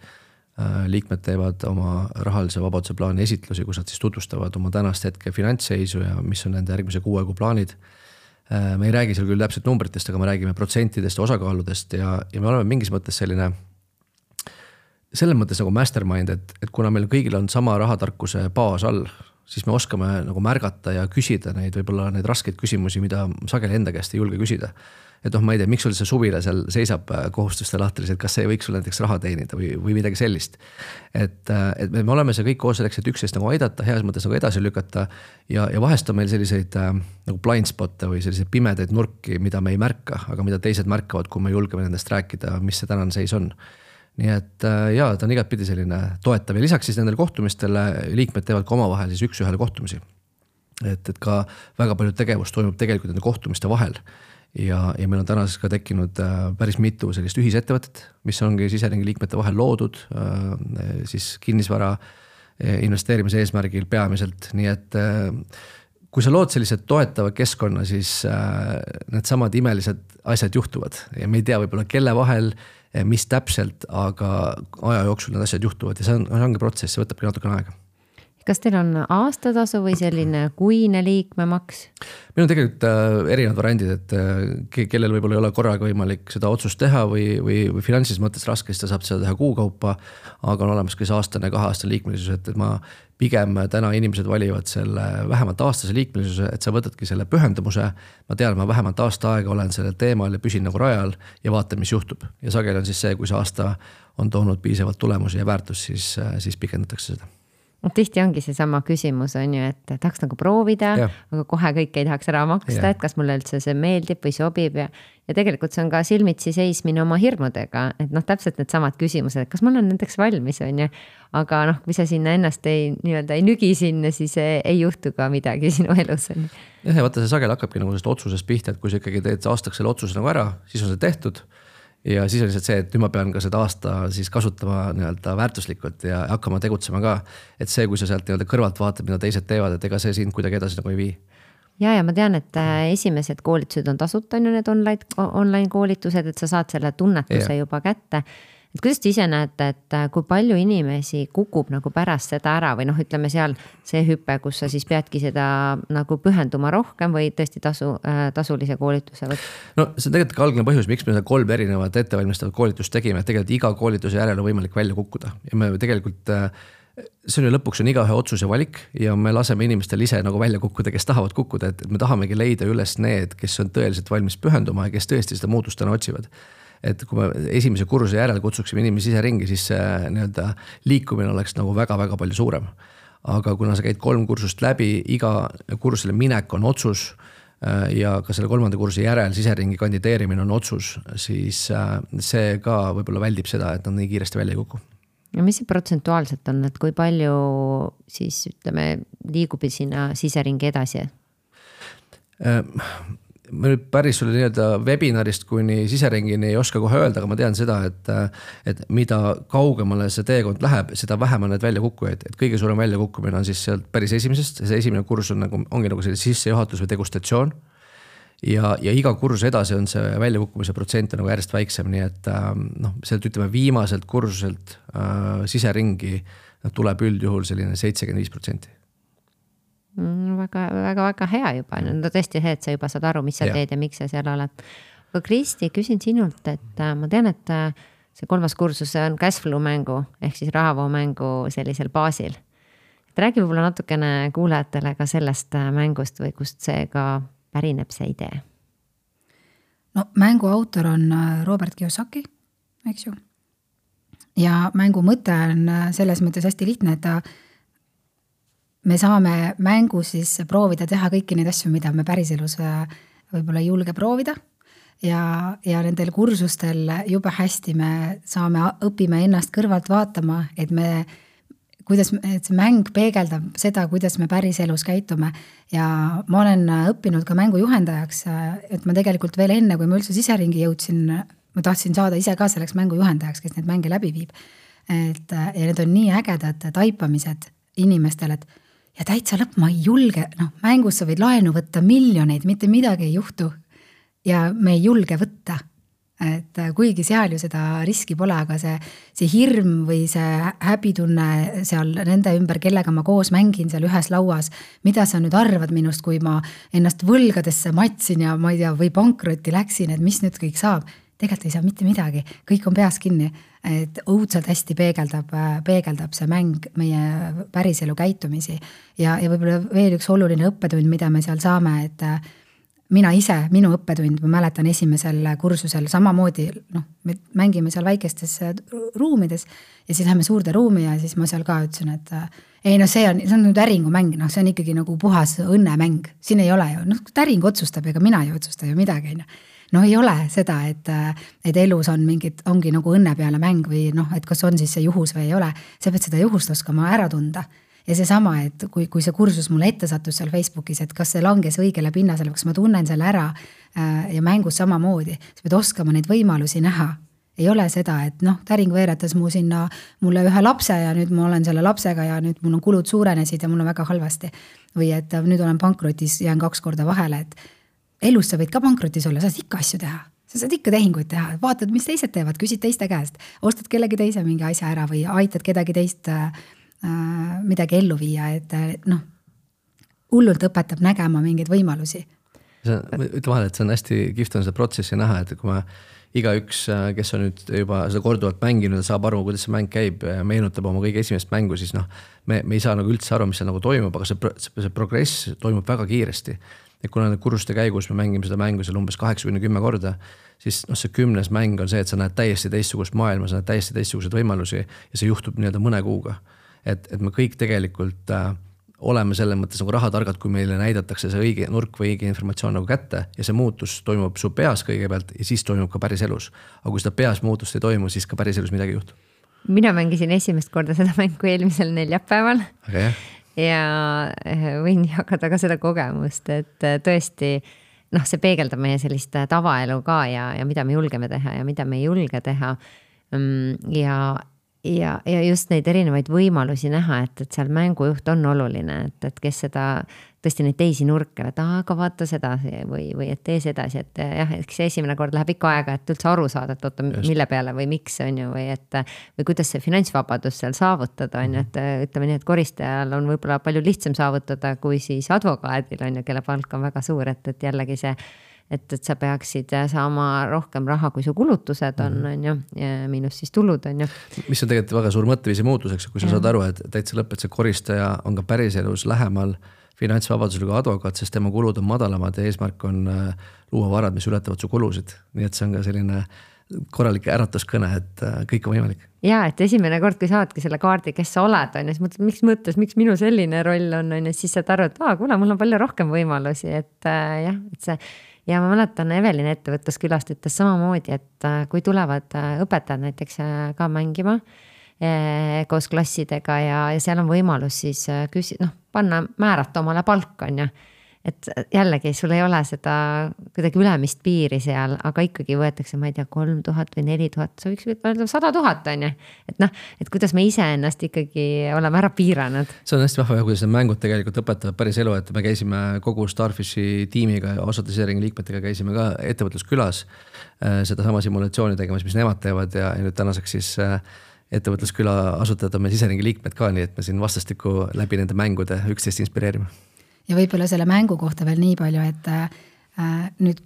Liikmed teevad oma rahalise vabaduse plaani esitlusi, kus nad siis tutvustavad oma tänast hetke finantsseisu ja mis on nende järgmise 6 kuu plaanid. Me ei räägi seal küll täpselt numbritest, aga me räägime protsentidest ja osakaaludest ja me oleme mingis mõttes selles mõttes nagu mastermind, et kuna meil kõigil on sama rahatarkuse baas all, siis me oskame nagu märgata ja küsida neid võib-olla neid raskeid küsimusi, mida sageli enda käest ei julge küsida. Et ma ei tea, miks sul see suvila seal seisab kohustuste lahtris, et kas see võiks sul näiteks raha teenida või midagi sellist. Et me oleme see kõik koos selleks, et üksteist nagu aidata, heas mõttes nagu edasi lükata ja vahest on meil selliseid nagu blind spotte või selliseid pimedaid nurki, mida me ei märka, aga mida teised märkavad, kui me julgeme nendest rääkida, mis see tänane seis on. Nii et jaa, ta on igat pidi selline toetav ja lisaks siis nendel kohtumistele liikmed teevad ka omavahel siis 1-1 kohtumisi. Et ka väga palju tegevust toimub tegelikult nende kohtumiste vahel. Ja meil on tänaseks ka tekkinud päris mitu sellist ühisettevõtet, mis ongi siseringi liikmete vahel loodud, siis kinnisvara investeerimise eesmärgil peamiselt. Nii et kui sa lood sellised toetava keskkonna, siis need samad imelised asjad juhtuvad ja me ei tea võib-olla kelle vahel, mis täpselt, aga aja jooksul need asjad juhtuvad ja see ongi protsess, see võtabki natukene aega. Kas teil on aastatasu või selline kuine liikmemaks? Meil on tegelikult erinevad variandid, et kellel võib-olla ei ole korraga võimalik seda otsust teha või finantsis mõttes raske, siis ta saab seda teha kuukaupa, aga on olemas ka see aastane, 2-aastane liikmelisus, et ma pigem täna inimesed valivad selle vähemalt aastase liikmelisuse, et sa võtadki selle pühendumuse, ma tean, ma vähemalt aasta aega olen sellel teemal ja püsin nagu rajal ja vaatan, mis juhtub. Ja sageli on siis see, kui see aasta on toonud piisavalt tulemusi ja väärtus, siis pikendatakse seda. Tihti ongi see sama küsimus on ju, et tahaks nagu proovida, aga kohe kõik ei tahaks ära maksta, et kas mulle üldse see meeldib või sobib ja tegelikult see on ka silmitsi seismine oma hirmudega, et täpselt need samad küsimused, et kas ma olen nendeks valmis on ju, aga kui sa sinna ennast ei nügi sinna, siis ei juhtu ka midagi sinu elus on ju. Ja vaata, see sagel hakkabki nagu otsusest pihta, et kui sa ikkagi teed aastaks selle otsuse nagu ära, siis on see tehtud. Ja siis on lihtsalt see, et nüüd ma pean ka seda aasta siis kasutama väärtuslikult ja hakkama tegutsema ka. Et see, kui sa sealt kõrvalt vaatad, mida teised teevad, et ega see sind kuidagi edasi nagu ei vii. Ja ma tean, et esimesed koolitused on tasuta, on ju need online koolitused, et sa saad selle tunnetuse juba kätte. Et kuidas te ise näete, et kui palju inimesi kukub nagu pärast seda ära või ütleme seal see hüpe, kus sa siis peadki seda nagu pühenduma rohkem või tõesti tasulise koolituse võtta? No see on tegelikult algne põhjus, miks me 3 erinevat ettevalmistavat koolitust tegime, et tegelikult iga koolituse järel on võimalik välja kukkuda ja me tegelikult see on lõpuks on igaühe otsus ja valik ja me laseme inimestel ise nagu välja kukkuda, kes tahavad kukkuda, et me tahamegi leida üles need, kes on tõeliselt valmis pühenduma ja kes tõesti seda muutust täna otsivad. Et kui me esimese kursuse järel kutsuksime inimesi ise ringi, siis liikumine oleks nagu väga-väga palju suurem. Aga kuna sa käid 3 kursust läbi, iga kursele minek on otsus ja ka selle 3. kursuse järel siseringi kandideerimine on otsus, siis see ka võib-olla väldib seda, et nad nii kiiresti välja ei kuku. Ja mis see protsentuaalselt on, et kui palju siis liigub sinna siseringi edasi? Ma nüüd päris sulle webinarist kuni siseringini ei oska kohe öelda, aga ma tean seda, et mida kaugemale see teekond läheb, seda vähem on need väljakukkujaid, et kõige suurem väljakukkumine on siis sealt päris esimesest, see esimene kursus ongi nagu selle sissejuhatus või degustatsioon ja iga kursuse edasi on see väljakukkumise protsent nagu järjest väiksem, nii et sealt viimaselt kursuselt siseringi tuleb üldjuhul selline 75%. Väga hea juba, tõesti see, et sa juba saad aru, mis sa teed ja miks sa seal oled. Aga Kristi, küsin sinult, et ma tean, et see 3. kursus on cashflow mängu ehk siis rahavoo mängu sellisel baasil. Et räägi võib-olla natukene kuulajatele ka sellest mängust või kust see ka pärineb see idee? No mängu autor on Robert Kiyosaki, eks ju. Ja mängu mõte on selles mõttes hästi lihtne, et me saame mängus siis proovida teha kõiki neid asju, mida me päriselus võib-olla ei julge proovida ja nendel kursustel jube hästi me õpime ennast kõrvalt vaatama, et see mäng peegeldab seda, kuidas me päriselus käitume ja ma olen õppinud ka mängu juhendajaks, et ma tegelikult veel enne, kui ma üldse siseringi jõudsin, ma tahtsin saada ise ka selleks mängu juhendajaks, kes need mänge läbi viib. Ja need on nii ägedad taipamised inimestel, ja täitsa lõpp, ma ei julge, mängus sa võid laenu võtta miljoneid, mitte midagi ei juhtu ja me ei julge võtta. Et kuigi seal ju seda riski pole, aga see hirm või see häbitunne seal nende ümber, kellega ma koos mängin seal ühes lauas, mida sa nüüd arvad minust, kui ma ennast võlgadesse matsin ja ma ei tea, või pankrotti läksin, et mis nüüd kõik saab. Tegelikult ei saa mitte midagi, kõik on peas kinni, et õudselt hästi peegeldab see mäng meie päriselu käitumisi ja võib-olla veel üks oluline õppetund, mida me seal saame, et minu õppetund, ma mäletan esimesel kursusel samamoodi, me mängime seal väikestes ruumides ja siis läheme suurde ruumi ja siis ma seal ka ütlesin, et see on nüüd äringumäng, see on ikkagi nagu puhas õnnemäng, siin ei ole ju, äring otsustab, ega mina ei otsusta ju midagi, ei ole seda, et elus ongi nagu õnne peale mäng või et kas on siis see juhus või ei ole, sa pead seda juhust oskama ära tunda. Ja see sama, et kui see kursus mulle ette sattus seal Facebookis, et kas see langes õigele pinnasele, kas ma tunnen selle ära ja mängus samamoodi, sa pead oskama neid võimalusi näha. Ei ole seda, et täring veeretas mulle ühe lapse ja nüüd ma olen selle lapsega ja nüüd mul on kulud suurenesid ja mul on väga halvasti. Või et nüüd olen pankrotis, jään 2 korda vahele, et elus sa võid ka pankrotis olla, sa saad ikka asju teha. Sa saad ikka tehinguid teha, vaatad, mis teised teevad, küsid teiste käest, ostad kellegi teise mingi asja ära või aitad kedagi teist midagi ellu viia, et noh, hullult õpetab nägema mingeid võimalusi. Ütle vahele, et see on hästi kihvt on seda protsessi näha, et kui ma igaüks, kes on nüüd juba seda korduvalt mänginud ja saab aru, kuidas see mäng käib, meenutab oma kõige esimest mängu, siis noh, me ei saa nagu üldse aru, mis seal nagu toimub, aga see progress toimub väga kiiresti. Et kuna kursuste käigus me mängime seda mängu seal umbes 8-10 korda, siis noh, see 10. mäng on see, et sa näed täiesti teistsugust maailma, sa näed täiesti teistsuguseid võimalusi ja see juhtub nii-öelda mõne kuuga. Et me kõik tegelikult oleme selles mõttes nagu rahatargad, kui meile näidatakse see õige nurk või õige informatsioon nagu kätte ja see muutus toimub su peas kõigepealt ja siis toimub ka päris elus. Aga kui seda peas muutust ei toimu, siis ka päris elus midagi juhtub. Mina mängisin esimest korda seda mängu eelmisel neljapäeval. Okay. Ja võin jagada ka seda kogemust, et tõesti noh, see peegeldab meie sellist tavaelu ka ja mida me julgeme teha ja mida me ei julge teha. Ja just neid erinevaid võimalusi näha, et seal mängujuht on oluline, et kes seda tõesti neid teisi nurke, et aga vaata seda või et tee sedasi, et jah, eks see esimene kord läheb ikka aega, et üldse aru saada, et oota, mille peale või miks on ju, või kuidas see finantsvabadus seal saavutada on ju, et ütleme nii, et koristajal on võib-olla palju lihtsam saavutada kui siis advokaadil on ju, kelle palk on väga suur, et jällegi see et sa peaksid saama rohkem raha, kui su kulutused on ju, miinus siis tulud on ju. Mis on tegelikult väga suur mõtteviisi muutuseks, kui sa saad aru, et täitsa lõpet see koristaja on ka päris elus lähemal finantsvabadusele kui advokaat, sest tema kulud on madalamad ja eesmärk on luua varad, mis ületavad su kulusid. Nii et see on ka selline korralik äratuskõne, et kõik on võimalik. Ja, et esimene kord, kui saadki selle kaardi, kes sa oled, on, siis mõttes, miks minu selline roll on, siis saad aru, et kuule, mul on palju rohkem võimalusi, et jah, et see. Ja ma mäletan, Evelin ettevõtluskülast ütles samamoodi, et kui tulevad õpetajad näiteks ka mängima koos klassidega ja seal on võimalus siis panna määrata omale palka on ju. Et jällegi sul ei ole seda kuidagi ülemist piiri seal, aga ikkagi võetakse, ma ei tea, 3000 või 4000, sa võiks öelda 100 000 on ju. Et kuidas me ise ennast ikkagi oleme ära piiranud. See on hästi vahva, kuidas need mängud tegelikult õpetavad päris elu, et me käisime kogu Starfishi tiimiga ja osade Siseringi liikmetega käisime ka ettevõtluskülas seda sama simulatsiooni tegemas, mis nemad teevad ja nüüd tänaseks siis ettevõtlusküla asutajad on me Siseringi liikmed ka, nii et me siin vastastikku läbi nende mängude üksteist inspireerime. Ja võibolla selle mängu kohta veel nii palju, et nüüd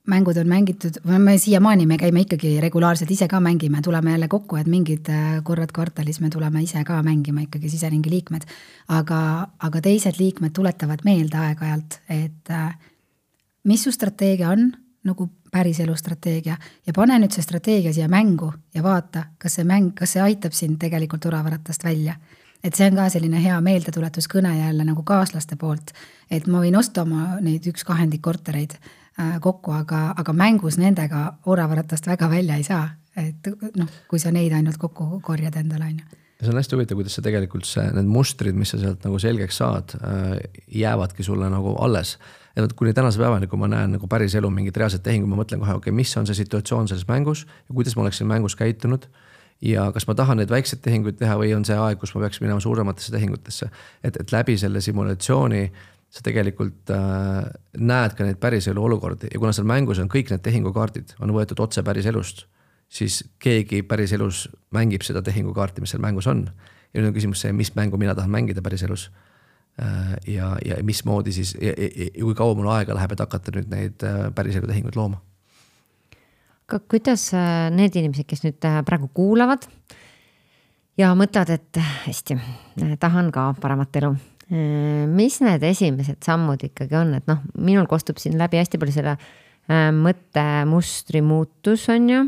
mängud on mängitud, me siiamaani me käime ikkagi regulaarselt ise ka mängime, tuleme jälle kokku, et mingid korrad kvartalis me tuleme ise ka mängima ikkagi Siseringi liikmed, aga teised liikmed tuletavad meelde aeg-ajalt, et mis su strateegia on, nagu päris elu strateegia ja pane nüüd see strateegia siia mängu ja vaata, kas see aitab sind tegelikult oravaratast välja. Et see on ka selline hea meeldetuletuskõne jälle nagu kaaslaste poolt, et ma võin osta oma neid 1/2 kortereid kokku, aga mängus nendega oravaratast väga välja ei saa, et kui sa neid ainult kokku korjad endale on ju. See on hästi huvitav, kuidas sa tegelikult need mustrid, mis sa sealt nagu selgeks saad, jäävadki sulle nagu alles. Ja kuni tänase päevani, kui ma näen nagu päris elu mingit reaalset tehingu, ma mõtlen kohe, mis on see situatsioon selles mängus ja kuidas ma oleksin mängus käitunud ja kas ma tahan neid väikseid tehinguid teha või on see aeg, kus ma peaks minema suurematesse tehingutesse. Et läbi selle simulatsiooni sa tegelikult näed ka neid päris elu olukordi ja kuna seal mängus on kõik need tehingukaardid, on võetud otse päris elust, siis keegi päris elus mängib seda tehingukaarti, mis seal mängus on. Ja nüüd on küsimus see, mis mängu mina tahan mängida päris elus ja mismoodi siis ja kui kaua mul aega läheb, et hakata nüüd neid päris elu tehinguid looma. Kuidas need inimesed, kes nüüd praegu kuulavad ja mõtled, et hästi, tahan ka paremat elu. Mis need esimesed sammud ikkagi on, et minul kostub siin läbi hästi palju selle mõttemustri muutus on ju,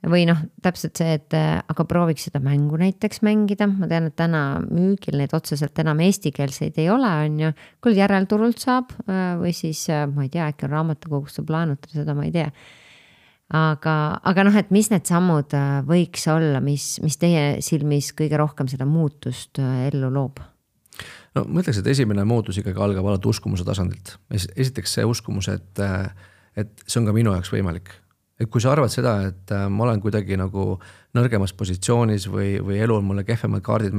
või täpselt see, et aga prooviks seda mängu näiteks mängida. Ma tean, et täna müügil neid otseselt enam eestikeelseid ei ole on ju, küll järelturult saab või siis ma ei tea, äkki on raamatukogus saab laenutada, seda ma ei tea. Aga et mis need sammud võiks olla, mis teie silmis kõige rohkem seda muutust ellu loob? No ma ütleks, et esimene muutus ikkagi algab alati uskumuse tasandilt. Esiteks see uskumus, et see on ka minu jaoks võimalik. Et kui sa arvad seda, et ma olen kuidagi nagu nõrgemas positsioonis või elu on mulle kehvemad kaardid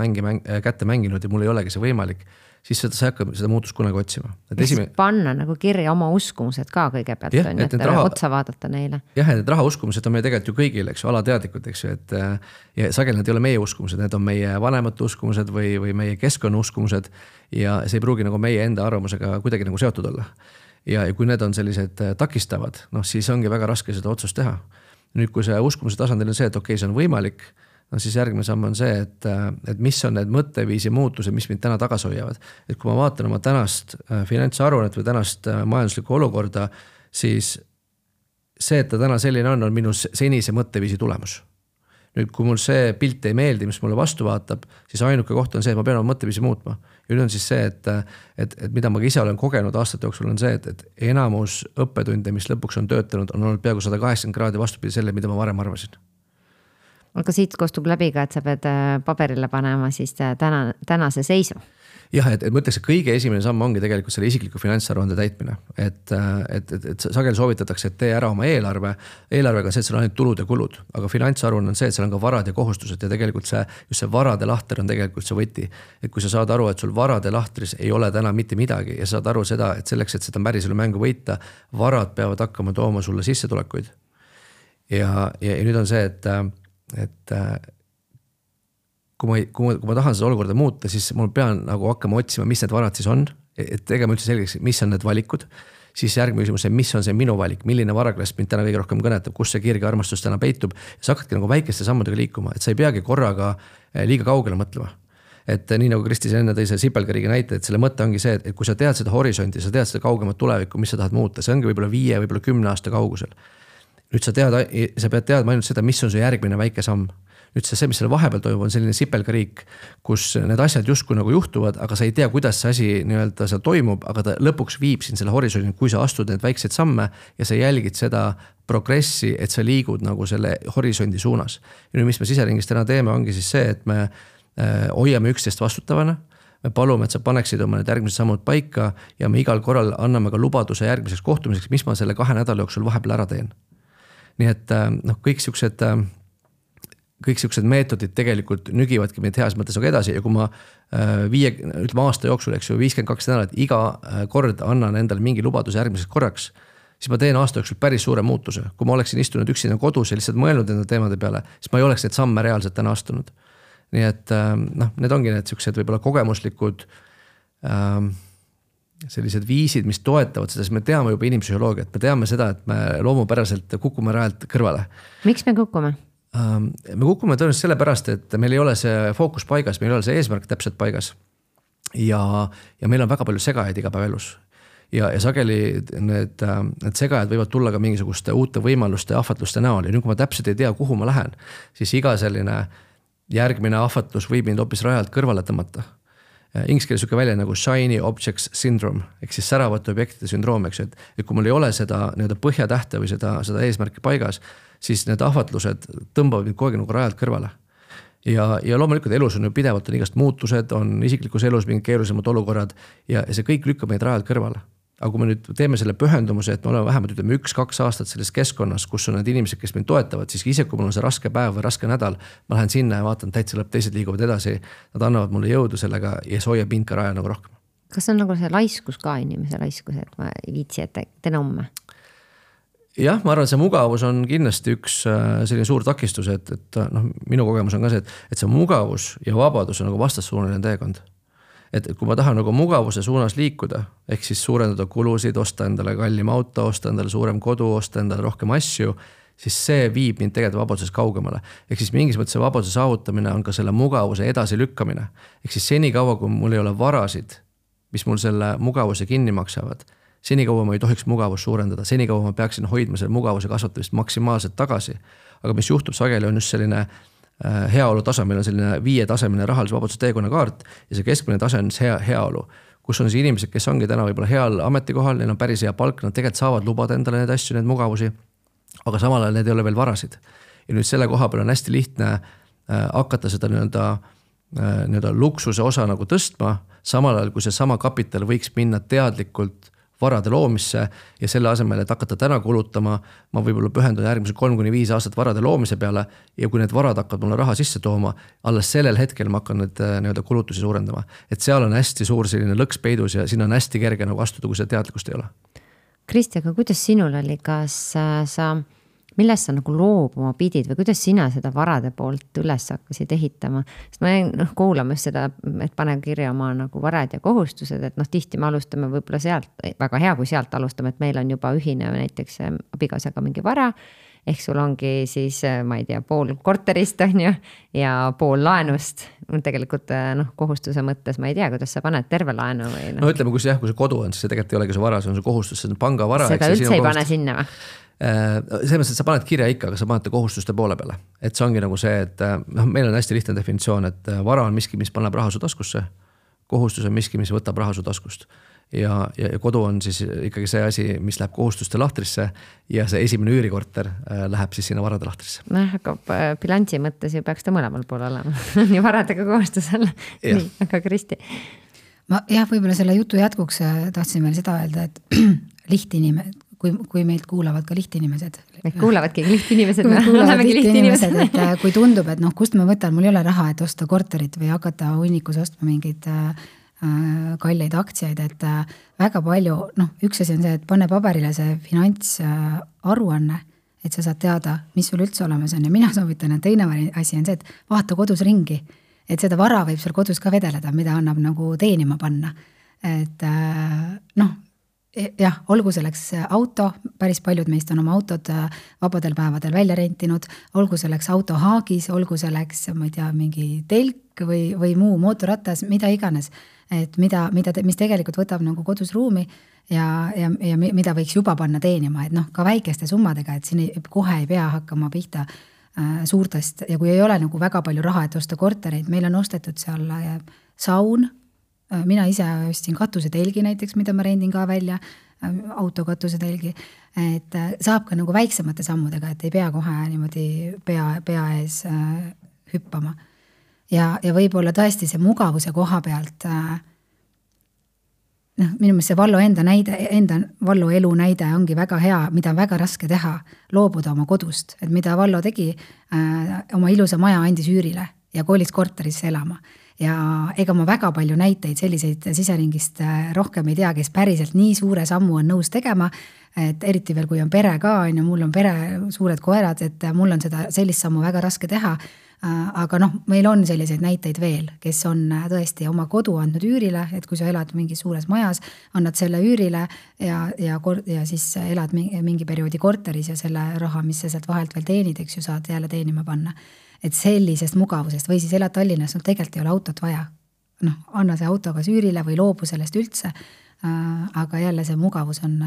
kätte mänginud ja mul ei olegi see võimalik, siis sa ei hakka seda muutust kunagi otsima. Panna nagu kirja oma uskumused ka kõigepealt, et otsa vaadata neile. Jah, et raha uskumused on meie tegelikult ju kõigil, eks ju, alateadlikud, eks ju, et ja sageli need ei ole meie uskumused, need on meie vanemate uskumused või meie keskkonna uskumused ja see ei pruugi nagu meie enda arvamusega kuidagi nagu seotud olla. Ja kui need on sellised takistavad, siis ongi väga raske seda otsust teha. Nüüd, kui see uskumuse tasandil on see, et okei, see on võimalik, siis järgmine samm on see, et mis on need mõtteviisi muutused, mis mind täna tagasi hoiavad. Et kui ma vaatan oma tänast finantsaruannet või tänast majanduslikku olukorda, siis see, et ta täna selline on minu senise mõtteviisi tulemus. Nüüd, kui mul see pilt ei meeldi, mis mulle vastu vaatab, siis ainuke koht on see, et ma pean oma mõtteviisi muutma. Ja nüüd on siis see, et mida ma ise olen kogenud aastate jooksul on see, et enamus õppetunde, mis lõpuks on töötanud, on olnud peaaegu 180 kraadi vastupidi selle, mida ma varem arvasin. Aga siit kostub läbi ka, et sa pead paberile panema siis tänase seisu. Jah, et ma ütleks, et kõige esimene samm ongi tegelikult selle isikliku finantsaruande täitmine. Et sageli soovitatakse, et tee ära oma eelarve. Eelarvega on see, et seal on ainult tulud ja kulud. Aga finantsaruanne on see, et seal on ka varad ja kohustused ja tegelikult just see varade lahter on tegelikult see võti. Et kui sa saad aru, et sul varade lahtris ei ole täna mitte midagi ja saad aru seda, et selleks, et seda päriselu mängu võita, varad peavad hakkama tooma sulle sissetulekuid. Ja nüüd on see, et kui ma tahan seda olukorda muuta, siis mul pean nagu hakkama otsima, mis need varad siis on, et tegema üldse selgeks, mis on need valikud, siis järgmine küsimus, mis on see minu valik, milline varaklass mind täna kõige rohkem kõnetab, kus see kirge armastus täna peitub, ja sa hakkadki nagu väikeste sammudega liikuma, et sa ei peagi korraga liiga kaugele mõtlema. Et nii nagu Kristi enne tõi see sipelgariigi näite, et selle mõte ongi see, et kui sa tead seda horisonti, sa tead seda kaugemat tulevikku, mis sa tahad muuta, see ongi võib-olla 5, võib-olla 10 aasta kaugusel. Nüüd sa pead teadma ainult seda, mis on su järgmine väike samm. Nüüd see, mis selle vahepeal toimub, on selline sipelgariik, kus need asjad justkui nagu juhtuvad, aga sa ei tea, kuidas see asi nii-öelda seal toimub, aga ta lõpuks viib siin selle horisondil, kui sa astud need väikseid samme ja sa jälgid seda progressi, et sa liigud nagu selle horisondi suunas. Ja nüüd, mis me siseringis täna teeme, ongi siis see, et me hoiame üksteist vastutavana, me palume, et sa paneksid oma need järgmised sammud paika ja me igal korral anname ka lubaduse järgmiseks kohtumiseks, mis ma selle 2 nädala jooksul vahepeal ära teen. Nii et kõik siuksed meetodid tegelikult nügivadki meid heas mõttes nagu edasi ja kui ma aasta jooksul, eks ju, 52 nädalat iga kord annan endale mingi lubaduse järgmiseks korraks, siis ma teen aasta jooksul päris suure muutuse. Kui ma oleksin istunud üksinda kodus ja lihtsalt mõelnud enda teemade peale, siis ma ei oleks neid samme reaalselt täna astunud. Nii et need ongi need siuksed võib-olla kogemuslikud sellised viisid, mis toetavad seda, siis me teame juba inimpsühholoogiat, me teame seda, et me loomupäraselt kukume rajalt kõrvale. Miks me kukume? Me kukume tõenäoliselt selle pärast, et meil ei ole see fookus paigas, meil ei ole see eesmärk täpselt paigas ja meil on väga palju segajaid igapäevaelus ja sageli need segajad võivad tulla ka mingisuguste uute võimaluste ja ahvatluste näol ja nüüd kui ma täpselt ei tea, kuhu ma lähen, siis iga selline järgmine ahvatlus võib mind hoopis rajalt kõrvale tõmmata. Inglise keeles suke välja nagu shiny objects syndrome, ehk siis säravate objektide sündroom, eks, et kui mul ei ole seda põhjatähte või seda eesmärki paigas, siis need ahvatlused tõmbavad mind kogu aeg nagu rajalt kõrvale. Ja loomulikult elus on ju pidevalt on igast muutused, on isiklikus elus mingid keerulisemad olukorrad ja see kõik lükkab meid rajalt kõrvale. Aga kui me nüüd teeme selle pühendumuse, et me oleme vähemalt 1-2 aastat selles keskkonnas, kus on need inimesed, kes mind toetavad, siis ise kui mul on see raske päev või raske nädal, ma lähen sinna ja vaatan täitsa lõpp, teised liiguvad edasi, nad annavad mulle jõudu sellega ja see hoiab mind ka rajal nagu rohkem. Kas see on nagu see laiskus ka inimese laiskus, et ma ei viitsi, et teen homme? Jah, ma arvan, see mugavus on kindlasti üks selline suur takistus, et minu kogemus on ka see, et see mugavus ja vabadus on nagu vastassuunaline teekond. Et kui ma tahan nagu mugavuse suunas liikuda, ehk siis suurendada kulusid, osta endale kallim auto, osta endale suurem kodu, osta endale rohkem asju, siis see viib mind tegelikult vabadusest kaugemale. Ehk siis mingis mõttes vabaduse saavutamine on ka selle mugavuse edasi lükkamine. Ehk siis senikaua, kui mul ei ole varasid, mis mul selle mugavuse kinni maksavad, senikaua ma ei tohiks mugavust suurendada, senikaua ma peaksin hoidma selle mugavuse kasvatamist maksimaalselt tagasi. Aga mis juhtub sageli on just selline heaolu tasa, meil on selline 5-tasemine rahalise vabaduse teekonna kaart ja see keskmine tase on heaolu, kus on siis inimesed, kes ongi täna võib-olla heal ametikohal, neil on päris hea palk, nad tegelikult saavad lubada endale need asju, need mugavusi, aga samal ajal need ei ole veel varasid. Ja nüüd selle koha peal on hästi lihtne hakata seda nii-öelda luksuse osa nagu tõstma, samal ajal kui see sama kapital võiks minna teadlikult varade loomisse ja selle asemel, et hakata täna kulutama, ma võib-olla pühendun järgmise 3-5 aastat varade loomise peale ja kui need varad hakkavad mulle raha sisse tooma, alles sellel hetkel ma hakkan need nii-öelda kulutusi suurendama. Et seal on hästi suur selline lõks peidus ja siin on hästi kerge nagu astuda, kui seda teadlikkust ei ole. Kristi, aga kuidas sinul oli, kas millest sa nagu loobuma pidid või kuidas sina seda varade poolt üles hakkasid ehitama? Sest ma jäin kuulama seda, et pane kirja oma nagu varad ja kohustused, et tihti me alustame võib-olla sealt, väga hea, kui sealt alustame, et meil on juba ühine näiteks abikaasaga mingi vara, ehk sul ongi siis, ma ei tea, pool korterist on ju, ja pool laenust. Tegelikult kohustuse mõttes ma ei tea, kuidas sa paned terve laenu või no ütleme, kui see kodu on, siis see tegelikult ei olegi see vara, see on see kohustus, see on pangavara. Seda üldse ei pane sinna või? Selles mõttes, et sa paned kirja ikka, aga sa paned kohustuste poole peale. Et see ongi nagu see, et meil on hästi lihtne definitsioon, et vara on miski, mis paneb raha su taskusse, kohustus on miski, mis võtab raha su taskust. Ja kodu on siis ikkagi see asi, mis läheb kohustuste lahtrisse ja see esimene üürikorter läheb siis sinna varade lahtrisse. Aga bilansi mõttes ju peaks ta mõlemal pool olema. Nii varadega kohustusel. Nii, aga Kristi. Ma võib-olla selle jutu jätkuks tahtsin veel seda öelda, et lihtinimesed, kui meilt kuulavad ka lihtinimesed. Meid kuulavadki lihtinimesed. Olemegi lihtinimesed. Et kui tundub, et kust ma võtan, mul ei ole raha, et osta korterit või hakata hunnikus ostma mingeid kalleid aktsiaid, et väga palju, üks asi on see, et pane paberile see finantsaruanne, et sa saad teada, mis sul üldse olemas on ja mina soovitan, et teine asi on see, et vaata kodus ringi, et seda vara võib seal kodus ka vedeleda, mida annab nagu teenima panna. Et jah, olgu selleks auto, päris paljud meist on oma autod vabadel päevadel välja rentinud, olgu selleks auto haagis, olgu selleks, ma ei tea, mingi telk või muu mootorratas, mida iganes, et mis tegelikult võtab nagu kodus ruumi ja mida võiks juba panna teenima, et ka väikeste summadega, et siin kohe ei pea hakkama pihta suurtest ja kui ei ole nagu väga palju raha, et osta kortereid, meil on ostetud seal saun, mina ise ostsin katusetelgi näiteks, mida ma rendin ka välja, autokatusetelgi, et saab ka nagu väiksemate sammudega, et ei pea kohe niimoodi pea ees hüppama. Ja võib-olla tõesti see mugavuse koha pealt, minu meelest see Vallo Vallo elu näide ongi väga hea, mida on väga raske teha, loobuda oma kodust, et mida Vallo tegi, oma ilusa maja andis üürile ja kolis korterisse elama. Ja ega ma väga palju näiteid selliseid siseringist rohkem ei tea, kes päriselt nii suure sammu on nõus tegema, et eriti veel kui on pere ka, mul on pere suured koerad, et mul on sellist sammu väga raske teha, aga meil on selliseid näiteid veel, kes on tõesti oma kodu andnud üürile, et kui sa elad mingis suures majas, annad selle üürile ja siis elad mingi perioodi korteris ja selle raha, mis sa sealt vahelt veel teenid, eks ju saad jälle teenima panna. Et sellisest mugavusest või siis elad Tallinnas, tegelikult ei ole autot vaja. Anna see auto kas üürile või loobu sellest üldse, aga jälle see mugavus on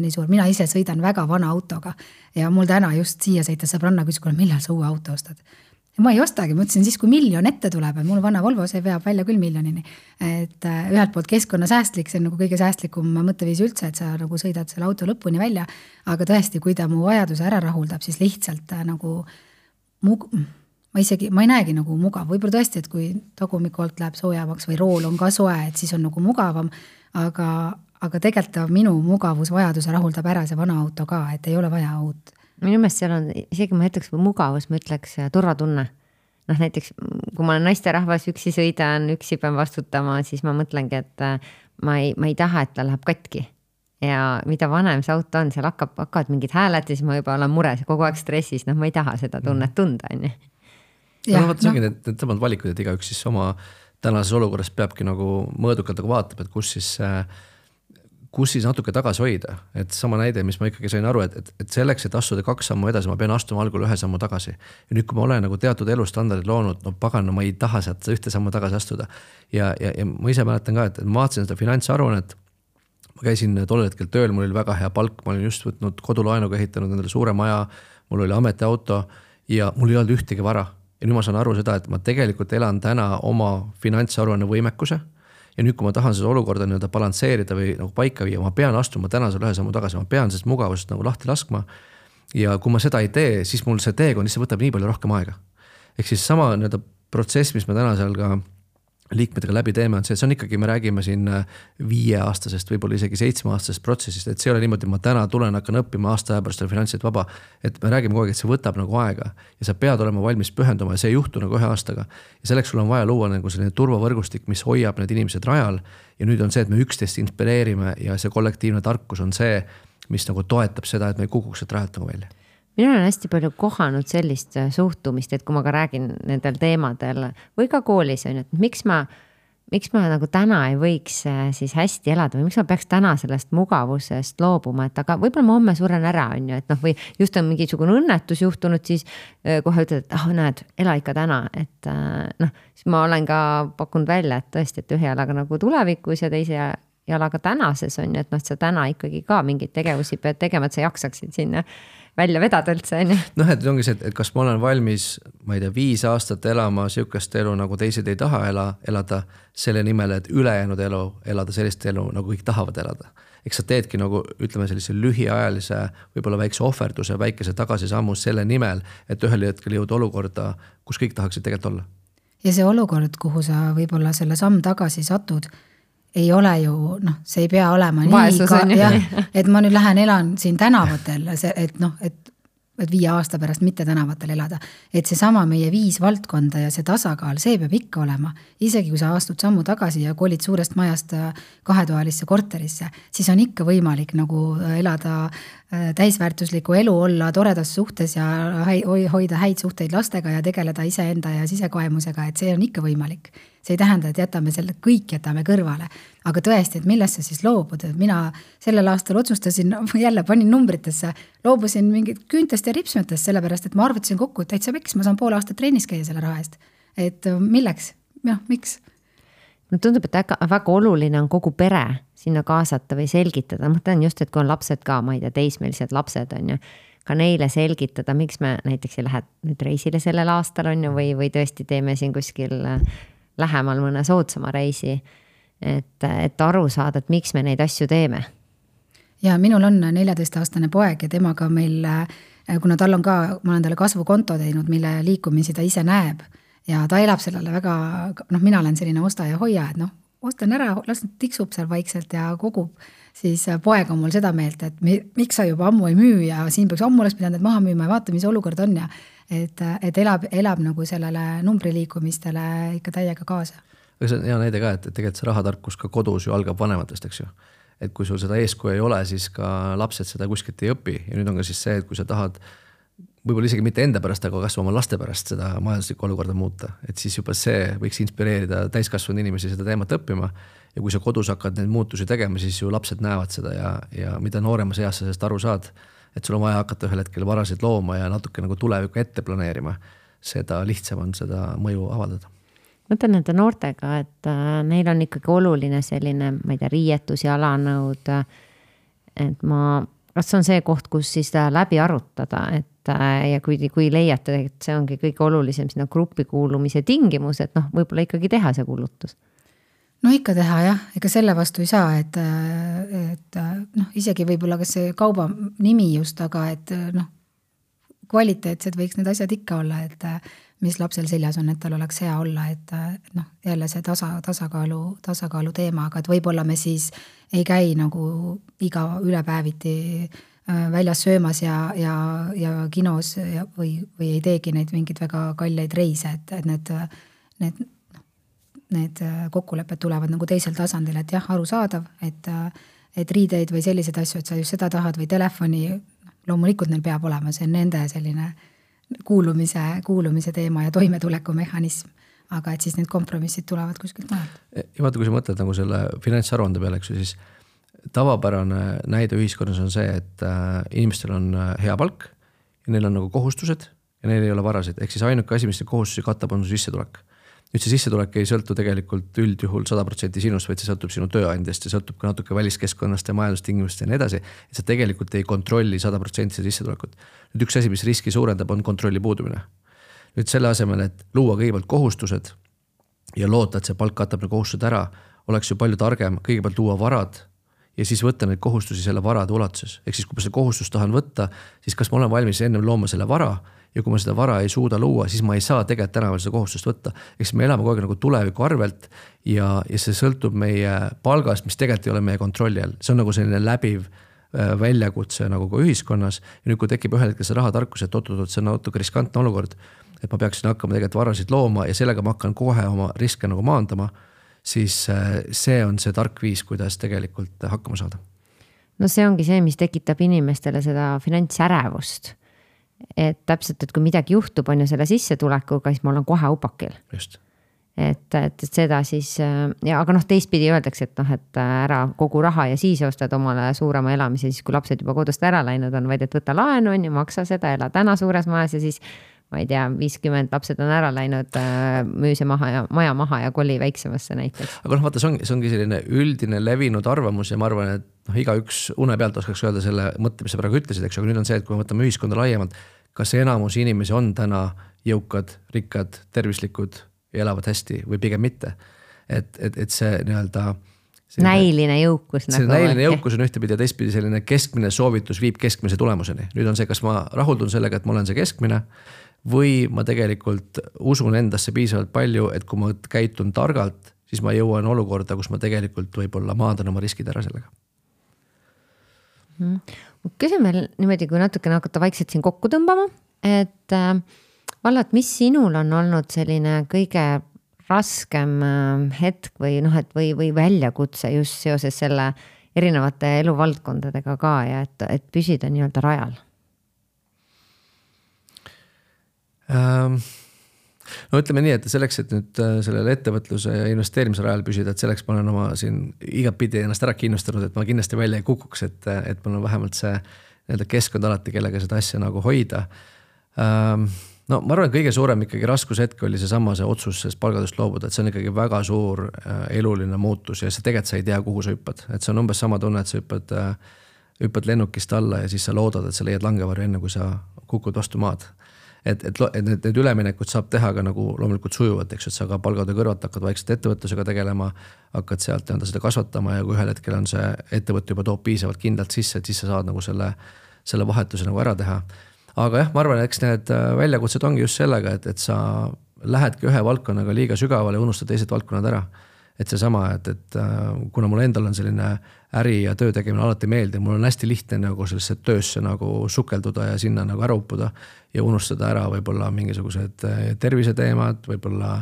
nii suur. Mina ise sõidan väga vana autoga ja mul täna just siia sõita sõbranna küsis, millal sa uue auto ostad. Ja ma ei ostagi, ma ütlesin siis, kui 1 miljon ette tuleb, et mul vana Volvo, see veab välja küll 1 miljonini. Et ühelt poolt keskkonna säästlik, see on nagu kõige säästlikum mõtteviis üldse, et sa nagu sõidad selle auto lõpuni välja, aga tõesti, kui ta mu vajaduse ära rahuldab, siis lihtsalt nagu ma ei näegi nagu mugav, võib-olla tõesti, et kui tagumiku alt läheb soojavaks või rool on ka soe, et siis on nagu mugavam, aga tegelikult minu mugavusvajaduse rahuldab ära see vana auto ka, et ei ole vaja uut. Minu meelest seal on, isegi ma ütleks mugavus, ma ütleks turvatunne. Näiteks, kui ma olen naisterahvas, üksi sõidan, üksi pean vastutama, siis ma mõtlengi, et ma ei taha, et ta läheb katki. Ja mida vanem see auto on, seal hakkavad mingid hääled ja siis ma juba olen mures, kogu aeg stressis, ma ei taha seda tunnet tunda, on ju. Ja, see ongi need samad valikud, et igaüks siis oma tänases olukorras peabki nagu mõõdukalt nagu vaatab, et kus siis natuke tagasi hoida. Et sama näide, mis ma ikkagi sain aru, et selleks, et astuda 2 sammu edasi, ma pean astuma algul 1 sammu tagasi. Ja nüüd, kui ma olen nagu teatud elustandardid loonud, pagan, ma ei taha sealt 1 sammu tagasi astuda. Ja ma ise mäletan ka, et ma vaatasin seda finantsaruannet, ma käisin tollel hetkel tööl, mul oli väga hea palk, ma olin just võtnud kodulaenuga ehitanud endale suure maja, mul oli ametiauto ja mul ei olnud ühtegi vara. Ja nüüd ma saan aru seda, et ma tegelikult elan täna oma finantsaruanne võimekuse ja nüüd, kui ma tahan seda olukorda nii-öelda balansseerida või nagu paika viia, ma pean astuma tänasel 1 sammu tagasi, ma pean sellest mugavusest nagu lahti laskma ja kui ma seda ei tee, siis mul see teekond lihtsalt võtab nii palju rohkem aega. Ehk siis sama nii-öelda protsess, mis ma täna seal ka liikmetega läbi teeme, on see, et see on ikkagi, me räägime siin 5-aastasest, võib-olla isegi 7-aastasest protsessist, et see ei ole niimoodi, ma täna tulen, hakkan õppima aasta aja pärast finantsilt vaba, et me räägime kogu aeg, et see võtab nagu aega ja sa pead olema valmis pühenduma ja see ei juhtu nagu 1 aastaga. Ja selleks sul on vaja luua nagu selline turvavõrgustik, mis hoiab need inimesed rajal ja nüüd on see, et me üksteist inspireerime ja see kollektiivne tarkus on see, mis nagu toetab seda, et me ei kukuks sealt rajalt nagu välja. Mina olen hästi palju kohanud sellist suhtumist, et kui ma ka räägin nendel teemadel või ka koolis on, et miks ma nagu täna ei võiks siis hästi elada või miks ma peaks täna sellest mugavusest loobuma, et aga võib-olla ma homme suren ära on ju, et noh, või just on mingisugune õnnetus juhtunud, siis kohe ütled, et näed, ela ikka täna, et noh, siis ma olen ka pakkunud välja, et tõesti, et 1 jalaga nagu tulevikus ja 2 jalaga tänases on ju, et noh, sa täna ikkagi ka mingeid tegevusi pead tegema, et sa jaksaksid sinna välja vedada üldse, on ju. Noh, et ongi see, et kas ma olen valmis, ma ei tea, 5 aastat elama sihukest elu, nagu teised ei taha elada selle nimel, et ülejäänud elu elada sellist elu, nagu kõik tahavad elada. Eks sa teedki nagu, ütleme sellise lühiajalise, võib-olla väikse ohverduse, väikese tagasisammu selle nimel, et ühel hetkel jõuda olukorda, kus kõik tahaksid tegelikult olla. Ja see olukord, kuhu sa võib-olla selle samm tagasi satud, ei ole ju, noh, see ei pea olema vaesus nii, et ma nüüd lähen elan siin tänavatel, et noh, et 5 aasta pärast mitte tänavatel elada. Et see sama meie 5 valdkonda ja see tasakaal, see peab ikka olema. Isegi kui sa astud sammu tagasi ja kolid suurest majast 2-toalisse korterisse, siis on ikka võimalik nagu elada täisväärtuslikku elu, olla toredas suhtes ja hoida häid suhteid lastega ja tegeleda iseenda ja sisekoemusega, et see on ikka võimalik. See ei tähenda, et jätame selle, kõik jätame kõrvale. Aga tõesti, et millest sa siis loobud? Mina sellel aastal otsustasin, jälle panin numbritesse, loobusin mingit küüntest ja ripsmetest, sellepärast, et ma arvutasin kokku, et täitsa peks, ma saan pool aastat trennis käia selle raha eest. Et milleks? Ja, miks? No tundub, et väga oluline on kogu pere sinna kaasata või selgitada. Ma tean just, et kui on lapsed ka, ma ei tea, teismelised lapsed on ju, ka neile selgitada, miks me näiteks ei lähe nüüd reisile sellel aastal on ju, või tõesti teeme siin kuskil lähemal mõne soodsama reisi, et aru saada, et miks me neid asju teeme. Ja minul on 14-aastane poeg ja temaga meil, kuna tal on ka, ma olen talle kasvukonto teinud, mille liikumisi ta ise näeb ja ta elab sellele väga, noh, mina olen selline osta ja hoia, et noh, ostan ära, las tiksub seal vaikselt ja kogub, siis poeg on mul seda meelt, et miks sa juba ammu ei müü ja siin peaks ammu oleks pidanud maha müüma ja vaata, mis olukord on ja et elab nagu sellele numbriliikumistele ikka täiega kaasa. Aga see on hea näide ka, et tegelikult see rahatarkus ka kodus ju algab vanematest, eks ju. Et kui sul seda eeskuju ei ole, siis ka lapsed seda kuskilt ei õpi ja nüüd on ka siis see, et kui sa tahad võib-olla isegi mitte enda pärast, aga kas oma laste pärast seda majanduslikku olukorda muuta, et siis juba see võiks inspireerida täiskasvanud inimesi seda teemat õppima ja kui sa kodus hakkad neid muutusi tegema, siis ju lapsed näevad seda ja mida nooremas eas sa sellest aru saad, et sul on vaja hakata ühel hetkel varasid looma ja natuke nagu tulevikku ette planeerima, seda lihtsam on seda mõju avaldada. Mõtlen nende noortega, et neil on ikkagi oluline selline, ma ei tea, riietus ja alanõud, et kas on see koht, kus siis läbi arutada, et ja kui leiate, et see ongi kõige olulisem sinna gruppi kuulumise tingimus, et noh, võib-olla ikkagi teha see kulutus. No ikka teha jah, ega selle vastu ei saa, et noh, isegi võib-olla kas see kauba nimi just, aga et noh, kvaliteetsed võiks need asjad ikka olla, et mis lapsel seljas on, et tal oleks hea olla, et noh, jälle see tasakaalu teema, aga et võib-olla me siis ei käi nagu iga ülepäeviti väljas söömas ja kinos või ei teegi neid mingid väga kalleid reise, et need kokkulepped tulevad nagu teisel tasandil, et jah, arusaadav, et riideid või sellised asju, et sa just seda tahad või telefoni, loomulikult neil peab olema, see on nende selline kuulumise teema ja toimetuleku mehhanism, aga et siis need kompromissid tulevad kuskilt majalt. Ja vaata, kui sa mõtled nagu selle finantsaruande peale, siis tavapärane näide ühiskonnas on see, et inimestel on hea palk ja neil on nagu kohustused ja neil ei ole varasid. Ehk siis ainuke asi, mis kohustusi katab, on sissetulek. Nüüd see sissetulek ei sõltu tegelikult üldjuhul 100% sinust, vaid see sõltub sinu tööandjast ja sõltub ka natuke väliskeskkonnast ja majandustingimust ja nii edasi. Et sa tegelikult ei kontrolli 100% sissetulekut. Nüüd üks asi, mis riski suurendab, on kontrolli puudumine. Nüüd selle asemel, et luua kõigepealt kohustused ja loota, et see palk katab need kohustused ära, oleks ju palju targem kõigepealt luua varad ja siis võtta neid kohustusi selle varade ulatuses. Ehk siis, kui ma selle kohustus tahan võtta, siis kas ma olen valmis ennem looma selle vara ja kui ma seda vara ei suuda luua, siis ma ei saa tegelikult tänaval seda kohustust võtta. Eks me elame kogu aeg nagu tuleviku arvelt ja see sõltub meie palgast, mis tegelikult ei ole meie kontrolli all. See on nagu selline läbiv väljakutse nagu ka ühiskonnas ja nüüd kui tekib ühel hetkel see rahatarkus, et see on natuke riskantne olukord, et ma peaksin hakkama tegelikult varasid looma ja sellega ma hakkan kohe oma riske nagu maandama, siis see on see tark viis, kuidas tegelikult hakkama saada. No see ongi see, mis tekitab inimestele seda finantsärevust. Et täpselt, et kui midagi juhtub, on ju selle sissetulekuga, siis ma olen kohe upakil. Just. Et seda siis, aga teistpidi öeldakse, et ära kogu raha ja siis ostad omale suurema elamise, siis kui lapsed juba kodust ära läinud on, vaid et võta laenu on ja maksa seda, ela täna suures majas ja siis ma ei tea, 50 lapsed on ära läinud, müü see maja maha ja koli väiksemasse näiteks. Aga vaata, see ongi selline üldine levinud arvamus ja ma arvan, et igaüks une pealt oskaks öelda selle mõtte, mis sa praegu ütlesid, eks, aga nüüd on see, et kui me võtame ühiskonda laiemalt, kas enamus inimesi on täna jõukad, rikkad, tervislikud ja elavad hästi või pigem mitte. Et see nii-öelda näiline jõukus. See näiline jõukus on ühtepidi ja teistpidi selline keskmine soovitus viib keskmise tulemuseni. Nüüd on see, kas ma rahuldun sellega, et ma olen see keskmine või ma tegelikult usun endasse piisavalt palju, et kui ma käitun targalt, siis ma jõuan olukorda, kus ma tegelikult võib-olla maandan oma riskid ära sellega. Küsin veel niimoodi, kui natukene hakata vaikselt siin kokku tõmbama, et vallat, mis sinul on olnud selline kõige raskem hetk või väljakutse just seoses selle erinevate eluvaldkondadega ka ja et püsida nii-öelda rajal? No ütleme nii, et selleks, et nüüd sellele ettevõtluse ja investeerimise rajal püsida, et selleks ma olen oma siin igapidi ennast ära kinnustanud, et ma kindlasti välja ei kukuks, et mul on vähemalt see keskkond alati, kellega seda asja nagu hoida. No ma arvan, et kõige suurem ikkagi raskushetk oli see otsus sellest palgadust loobuda, et see on ikkagi väga suur eluline muutus ja see tegelikult sa ei tea, kuhu sa hüppad. Et see on umbes sama tunne, et sa hüppad lennukist alla ja siis sa loodad, et sa leiad langevarju enne, kui sa kukud vastu maad. Et need üleminekud saab teha ka nagu loomulikult sujuvat, eks, et sa ka palgade kõrvalt hakkad vaikselt ettevõtlusega tegelema, hakkad sealt seda kasvatama ja kui ühel hetkel on see ettevõtte juba toob piisavalt kindlalt sisse, et siis sa saad nagu selle vahetuse nagu ära teha. Aga jah, ma arvan, eks need väljakutsed ongi just sellega, et sa lähedki ühe valdkonnaga liiga sügavale ja unustad teised valdkonnad ära. Et see sama, et kuna mul endal on selline äri ja töö tegemine alati meeldib, mul on hästi lihtne nagu sellesse töösse nagu sukelduda ja sinna nagu ära uppuda ja unustada ära võib-olla mingisugused terviseteemad, võib-olla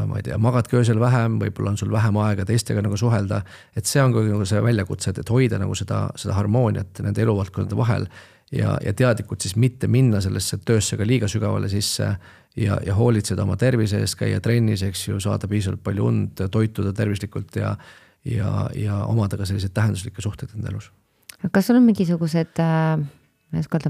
ma ei tea, magadki öösel vähem, võib-olla on sul vähem aega teistega nagu suhelda, et see on nagu see väljakutse, et hoida nagu seda harmooniat nende eluvaldkondade vahel ja teadlikult siis mitte minna sellesse töösse ka liiga sügavale sisse ja hoolitseda oma tervise eest, käia trennis, eks ju, saada piisavalt palju und, toituda tervislikult ja omada ka sellised tähenduslikke suhteid enda elus. Kas sul on mingisugused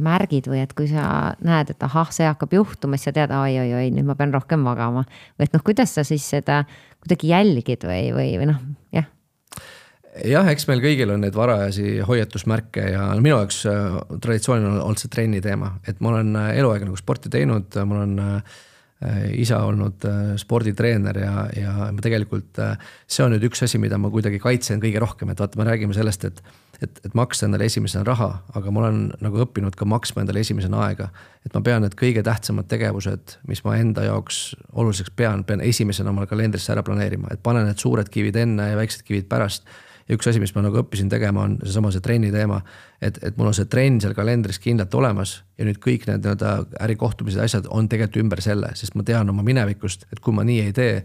märgid või et kui sa näed, et see hakkab juhtuma, siis sa tead, oi, nüüd ma pean rohkem magama või et kuidas sa siis seda kuidagi jälgid või jah? Jah, eks meil kõigil on need varajasi hoiatusmärke ja minu jaoks traditsioonil on olnud see trenni teema, et ma olen eluaeg nagu sporti teinud, ma olen isa olnud sporditreener ja ma tegelikult see on nüüd üks asi, mida ma kuidagi kaitsen kõige rohkem, et vaata, me räägime sellest, et maksta endale esimesena raha, aga ma olen nagu õppinud ka maksma endale esimesena aega, et ma pean need kõige tähtsamad tegevused, mis ma enda jaoks oluliseks pean esimesena oma kalendrisse ära planeerima, et panen need suured kivid enne ja väiksed kivid pärast. Ja üks asi, mis ma nagu õppisin tegema, on see trenni teema, et mul on see trenn seal kalendris kindlalt olemas ja nüüd kõik need ärikohtumised asjad on tegelikult ümber selle, sest ma tean oma minevikust, et kui ma nii ei tee,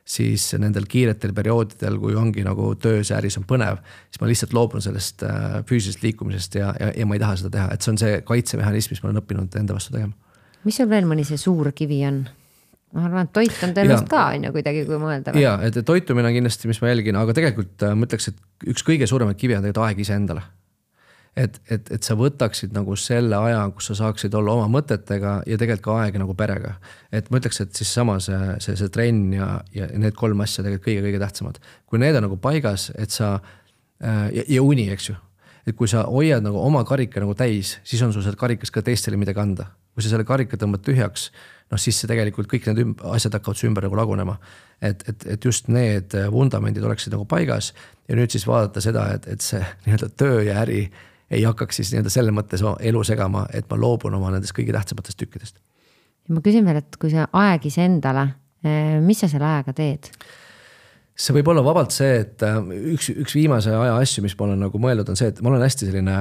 siis nendel kiiretel perioodidel, kui ongi nagu töös ja äris on põnev, siis ma lihtsalt loobun sellest füüsilisest liikumisest ja ma ei taha seda teha, et see on see kaitsemehhanism, mis ma olen õppinud enda vastu tegema. Mis sul veel mõni see suur kivi on? Ma arvan, et toit on tõenäoliselt ka on ju kuidagi, kui mõelda. Ja, et toitumine on kindlasti, mis ma jälgin, aga tegelikult ma ütleks, et üks kõige suuremaid kivi on tegelikult aeg ise endale. Et sa võtaksid nagu selle aja, kus sa saaksid olla oma mõtetega ja tegelikult ka aega nagu perega. Et ma ütleks, et siis sama see trenn ja need 3 asja tegelikult kõige tähtsamad. Kui need on nagu paigas, et sa ja uni, eks ju. Et kui sa hoiad nagu oma karika nagu täis, siis on sul seal karikas ka teistele midagi anda. Kui sa selle karika tõmbad tühjaks, siis see tegelikult kõik need asjad hakkavad su ümber nagu lagunema. Et just need vundamendid oleksid nagu paigas ja nüüd siis vaadata seda, et see nii-öelda töö ja äri ei hakkaks siis nii-öelda selle mõttes elu segama, et ma loobun oma nendest kõige tähtsamatest tükkidest. Ja ma küsin veel, et kui see aeg ise endale, mis sa selle ajaga teed? See võib olla vabalt see, et üks viimase aja asju, mis ma olen nagu mõeldud, on see, et ma olen hästi selline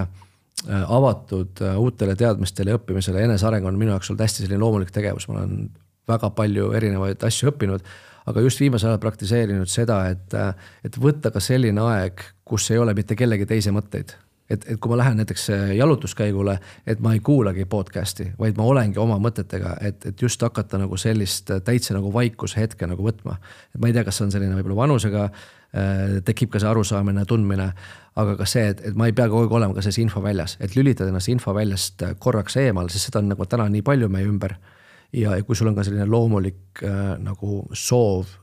avatud uutele teadmistele ja õppimisele. Eneseareng on minu jaoks olnud hästi selline loomulik tegevus. Ma olen väga palju erinevaid asju õppinud, aga just viimase ajal praktiseerinud seda, et võtta ka selline aeg, kus ei ole mitte kellegi teise mõtteid. Et kui ma lähen näiteks jalutuskäigule, et ma ei kuulagi podcasti, vaid ma olengi oma mõtetega, et just hakata nagu sellist täitsa nagu vaikushetke nagu võtma. Et ma ei tea, kas see on selline võib-olla vanusega, tekib ka see arusaamine, tundmine, aga ka see, et ma ei pea kogu aeg olema ka selles info väljas, et lülitada ennast info väljast korraks eemal, sest seda on nagu täna nii palju meie ümber. Ja kui sul on ka selline loomulik nagu soov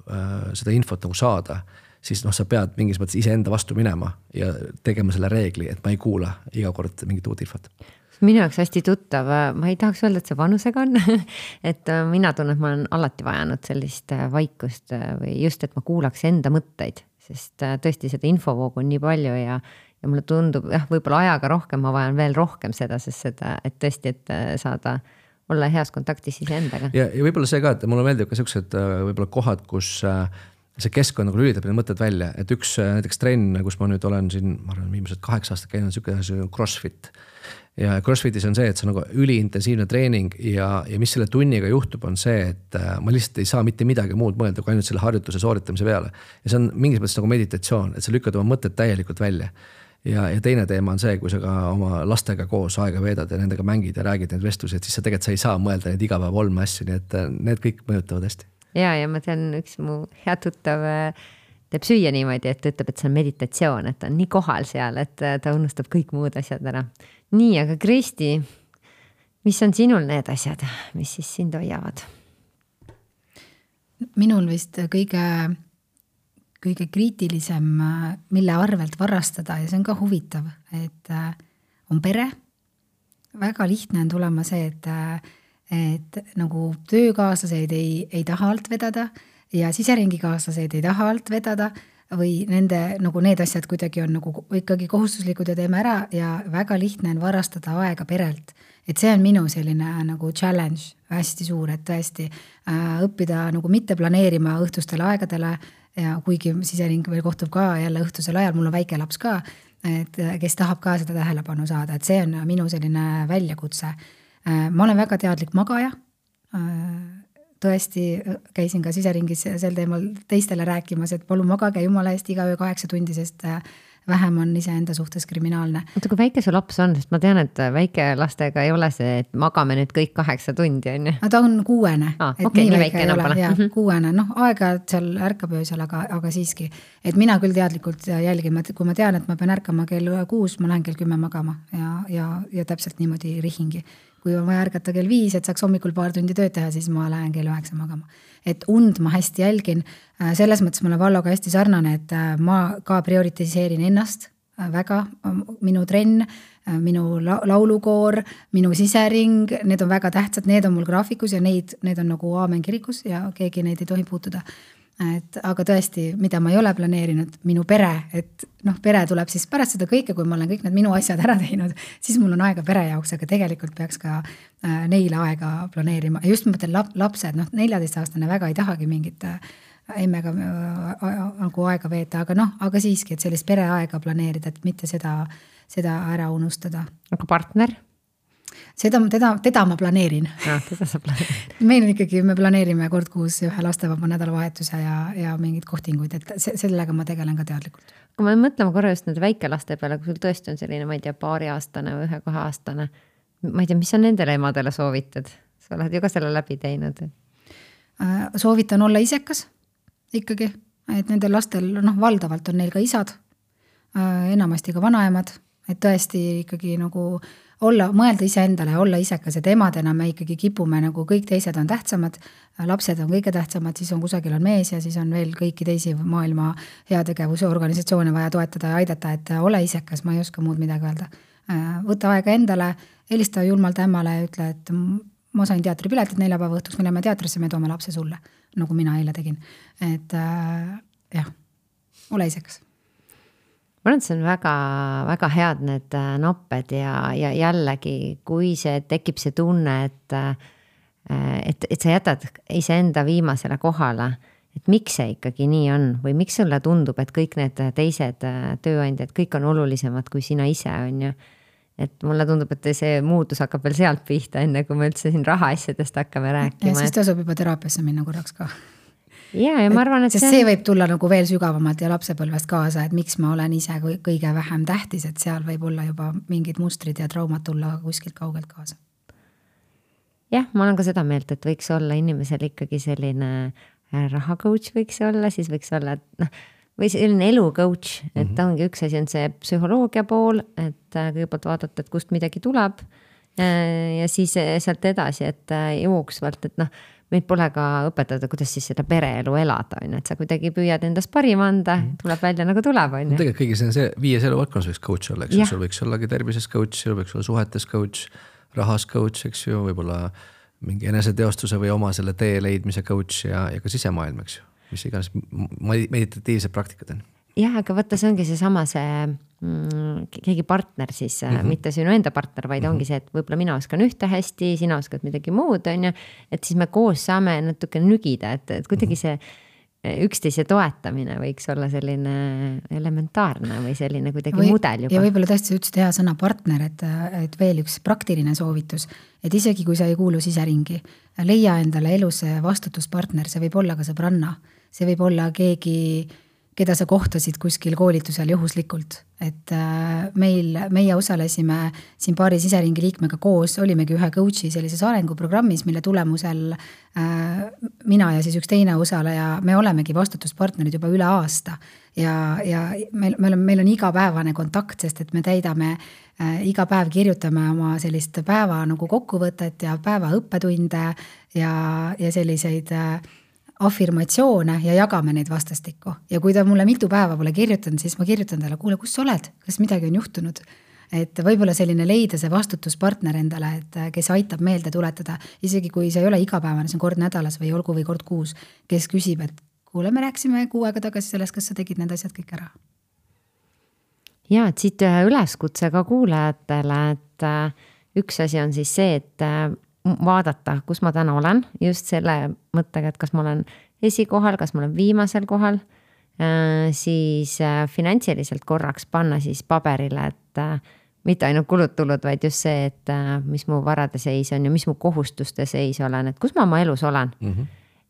seda infot nagu saada, siis sa pead mingis mõttes iseenda vastu minema ja tegema selle reegli, et ma ei kuula iga kord mingit uut infot. Minu jaoks hästi tuttav, ma ei tahaks öelda, et see vanusega on, et mina tunnen, et ma olen alati vajanud sellist vaikust või just, et ma kuulaks enda mõtteid, sest tõesti seda infovoogu on nii palju ja mulle tundub, võib-olla ajaga rohkem, ma vajan veel rohkem seda, sest seda, et tõesti, et saada olla heas kontaktis iseendaga. Ja võib-olla see ka, et mulle meeldib ka sellised võib-olla kohad, kus see keskkond nagu lülitab need mõtted välja, et üks näiteks trenn, kus ma nüüd olen siin, ma arvan, viimased 8 aastat käinud, selline CrossFit. Ja CrossFitis on see, et see on nagu üliintensiivne treening ja mis selle tunniga juhtub, on see, et ma lihtsalt ei saa mitte midagi muud mõelda, kui ainult selle harjutuse sooritamise peale. Ja see on mingis mõttes nagu meditatsioon, et sa lükkad oma mõtted täielikult välja. Ja teine teema on see, kui sa ka oma lastega koos aega veedad ja nendega mängid ja räägid need vestlused, siis sa tegelikult sa ei saa mõelda neid igapäeva olme asju, nii et need kõik mõjutavad hästi. Ja ma tean, üks mu hea tuttav teeb süüa niimoodi, et ütleb, et see on meditatsioon, et ta on nii kohal seal, et ta unustab kõik muud asjad ära. Nii, aga Kristi, mis on sinul need asjad, mis siis sind hoiavad? Minul vist kõige kriitilisem, mille arvelt varastada ja see on ka huvitav, et on pere. Väga lihtne on tulema see, et nagu töökaaslased ei taha alt vedada ja siseringi-kaaslased ei taha alt vedada või nende nagu need asjad kuidagi on nagu ikkagi kohustuslikud ja teeme ära ja väga lihtne on varastada aega perelt. Et see on minu selline nagu challenge hästi suur, et tõesti õppida nagu mitte planeerima õhtustele aegadele ja kuigi sisering veel kohtub ka jälle õhtusel ajal, mul on väike laps ka, et kes tahab ka seda tähelepanu saada, et see on minu selline väljakutse. Ma olen väga teadlik magaja, tõesti käisin ka siseringis sel teemal teistele rääkimas, et palun magage jumala eest iga öö 8 tundi, sest vähem on iseenda suhtes kriminaalne. Oota, kui väike su laps on, sest ma tean, et väike lastega ei ole see, et magame nüüd kõik 8 tundi, on ju? Ta on 6. Okei, nii väike enam pole. 6, aega seal ärkab öösel, aga siiski. Et mina küll teadlikult jälgin, kui ma tean, et ma pean ärkama kell 6, ma lähen kell 10 magama ja täpselt niimoodi rihingi. Kui on vaja ärgata kell 5, et saaks hommikul paar tundi tööd teha, siis ma lähen kell 9 magama. Et und ma hästi jälgin, selles mõttes ma olen Valloga hästi sarnane, et ma ka prioritiseerin ennast väga, minu trenn, minu laulukoor, minu sisering, need on väga tähtsad, need on mul graafikus ja need on nagu aamen kirikus ja keegi neid ei tohi puutuda. Aga tõesti, mida ma ei ole planeerinud, minu pere, et pere tuleb siis pärast seda kõike, kui ma olen kõik need minu asjad ära teinud, siis mul on aega pere jaoks, aga tegelikult peaks ka neile aega planeerima. Ja just mõtlen lapsed, 14-aastane väga ei tahagi mingit emmega nagu aega veeta, aga siiski, et sellist pereaega planeerida, et mitte seda ära unustada. Aga partner? Teda ma planeerin. Teda sa planeerid. Meil on ikkagi, me planeerime kord kuus ühe lastevaba nädalavahetuse ja mingid kohtinguid, et sellega ma tegelen ka teadlikult. Kui ma mõtlema korra just nende väikelaste peale, kui sul tõesti on selline, ma ei tea, 2-aastane või 1-2-aastane, ma ei tea, mis sa nendele emadele soovitad? Sa oled ju ka selle läbi teinud. Soovitan olla isekas ikkagi, et nendel lastel, valdavalt on neil ka isad, enamasti ka vanaemad, et tõesti ikkagi nagu mõelda iseendale ja olla isekas, et emadena me ikkagi kipume nagu kõik teised on tähtsamad, lapsed on kõige tähtsamad, siis on kusagil on mees ja siis on veel kõiki teisi maailma heategevuse organisatsioone vaja toetada ja aidata, et ole isekas, ma ei oska muud midagi öelda. Võta aega endale, helista julmalt ämmale ja ütle, et ma sain teatripiletit 4 päeva õhtuks, me läheme teatrisse, me toome lapse sulle, nagu mina eile tegin. Et jah, ole isekas. ma arvan, et see on väga, väga head need nopped ja jällegi, kui see tekib see tunne, et sa jätad iseenda viimasele kohale, et miks see ikkagi nii on või miks sulle tundub, et kõik need teised tööandjad, kõik on olulisemad kui sina ise on ju. Et mulle tundub, et see muutus hakkab veel sealt pihta, enne kui me üldse siin rahaasjadest hakkame rääkima. Ja siis tasub juba teraapiasse minna korraks ka. Ja ma arvan, et see võib tulla nagu veel sügavamalt ja lapsepõlvest kaasa, et miks ma olen ise kõige vähem tähtis, et seal võib olla juba mingid mustrid ja traumad tulla kuskilt kaugelt kaasa. Jah, ma olen ka seda meelt, et võiks olla inimesel ikkagi selline rahacoach võiks olla, siis võiks olla, või selline elucoach, et ongi üks asi on see psühholoogia pool, et kõigepealt vaadata, et kust midagi tuleb ja siis sealt edasi, et jooksvalt, et meid pole ka õpetada, kuidas siis seda pereelu elada, on, et sa kuidagi püüad endast parim anda, tuleb välja nagu tuleb, on. Tegelikult kõigi see 5 eluvaldkonnas võiks coach olla, eks ju, sul võiks ollagi tervises coach, sul võiks olla suhetes coach, rahas coach, eks ju, võib-olla mingi eneseteostuse või oma selle tee leidmise coach ja ka sisemaailm, eks ju. Mis iganes meditatiivsed praktikad on. Jah, aga võtta see ongi seesama keegi partner siis, mitte sinu enda partner, vaid ongi see, et võib-olla mina oskan ühte hästi, sina oskad midagi muud, on ju, et siis me koos saame natuke nügida, et kuidagi see üksteise toetamine võiks olla selline elementaarne või selline kuidagi mudel juba. Ja võib-olla tõesti ütlesid hea sõna partner, et veel üks praktiline soovitus, et isegi kui sa ei kuulu siseringi, leia endale elus vastutuspartner, see võib olla ka sõbranna, see võib olla keegi, keda sa kohtasid kuskil koolitusel juhuslikult, et meie osalesime siin paari siseringi liikmega koos, olimegi ühe coachi sellises arenguprogrammis, mille tulemusel mina ja siis üks teine osaleja, me olemegi vastutuspartnerid juba üle aasta ja meil on igapäevane kontakt, sest et me täidame iga päev kirjutame oma sellist päeva nagu kokkuvõtet ja päeva õppetunde ja selliseid afirmatsioone ja jagame neid vastastikku. Ja kui ta mulle mitu päeva pole kirjutanud, siis ma kirjutan talle, kuule, kus sa oled? Kas midagi on juhtunud? Et võib-olla selline leida see vastutuspartner endale, et kes aitab meelde tuletada, isegi kui see ei ole igapäevane, see on kord nädalas või olgu või kord kuus, kes küsib, et kuule, me rääksime 6 aega tagasi sellest, kas sa tegid need asjad kõik ära? Ja, et siit üleskutse ka kuulajatele, et üks asi on siis see, et vaadata, kus ma täna olen, just selle mõttega, et kas ma olen esikohal, kas ma olen viimasel kohal, siis finantsiliselt korraks panna siis paberile, et mitte ainult kulud-tulud, vaid just see, et mis mu varade seis on ja mis mu kohustuste seis olen, et kus ma oma elus olen.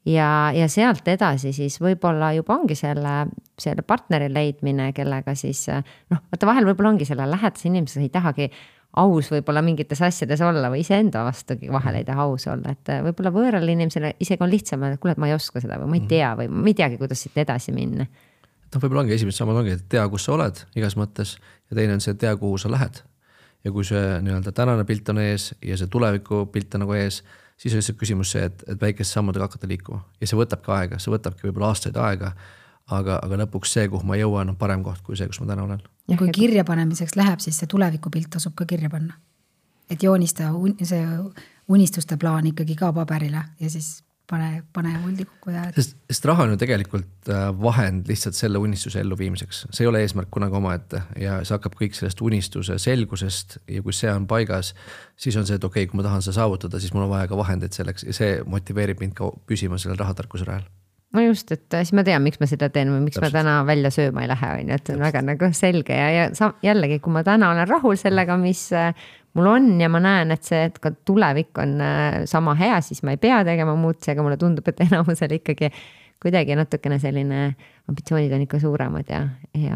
Ja sealt edasi siis võib-olla juba ongi selle partneri leidmine, kellega siis, vaata vahel võib-olla ongi selle lähedase inimesega ei tahagi aus võib-olla mingites asjades olla või iseenda vastugi vahel ei taha aus olla, et võib-olla võõral inimesele isegi on lihtsam, et kuule, et ma ei oska seda või ma ei tea või ma ei teagi, kuidas siit edasi minna. Võib-olla ongi esimesed sammud ongi, et tea, kus sa oled igas mõttes ja teine on see, tea, kuhu sa lähed. Ja kui see nii-öelda tänane pilt on ees ja see tuleviku pilt on nagu ees, siis on lihtsalt küsimus see, et väikeste sammudega hakata liikuma. Ja see võtabki aega, see võtabki võib-olla aastaid aega, aga lõpuks see, kuhu ma jõuan, on parem koht kui see, kus ma täna olen. Ja kui kirja panemiseks läheb, siis see tulevikupilt tasub ka kirja panna. Et joonista see unistuste plaan ikkagi ka paberile ja siis pane vuldi kokku. Sest raha on ju tegelikult vahend lihtsalt selle unistuse ellu viimiseks. See ei ole eesmärk kunagi omaette ja see hakkab kõik sellest unistuse selgusest ja kui see on paigas, siis on see, et okei, kui ma tahan seda saavutada, siis mul on vaja ka vahendeid selleks ja see motiveerib mind ka püsima sellel rahatarkuse rajal. No just, et siis ma tean, miks ma seda teen või miks ma täna välja sööma ei lähe, et on väga nagu selge ja jällegi, kui ma täna olen rahul sellega, mis mul on ja ma näen, et see, et ka tulevik on sama hea, siis ma ei pea tegema muutusi, aga mulle tundub, et enamusel ikkagi kuidagi natukene selline ambitsioonid on ikka suuremad ja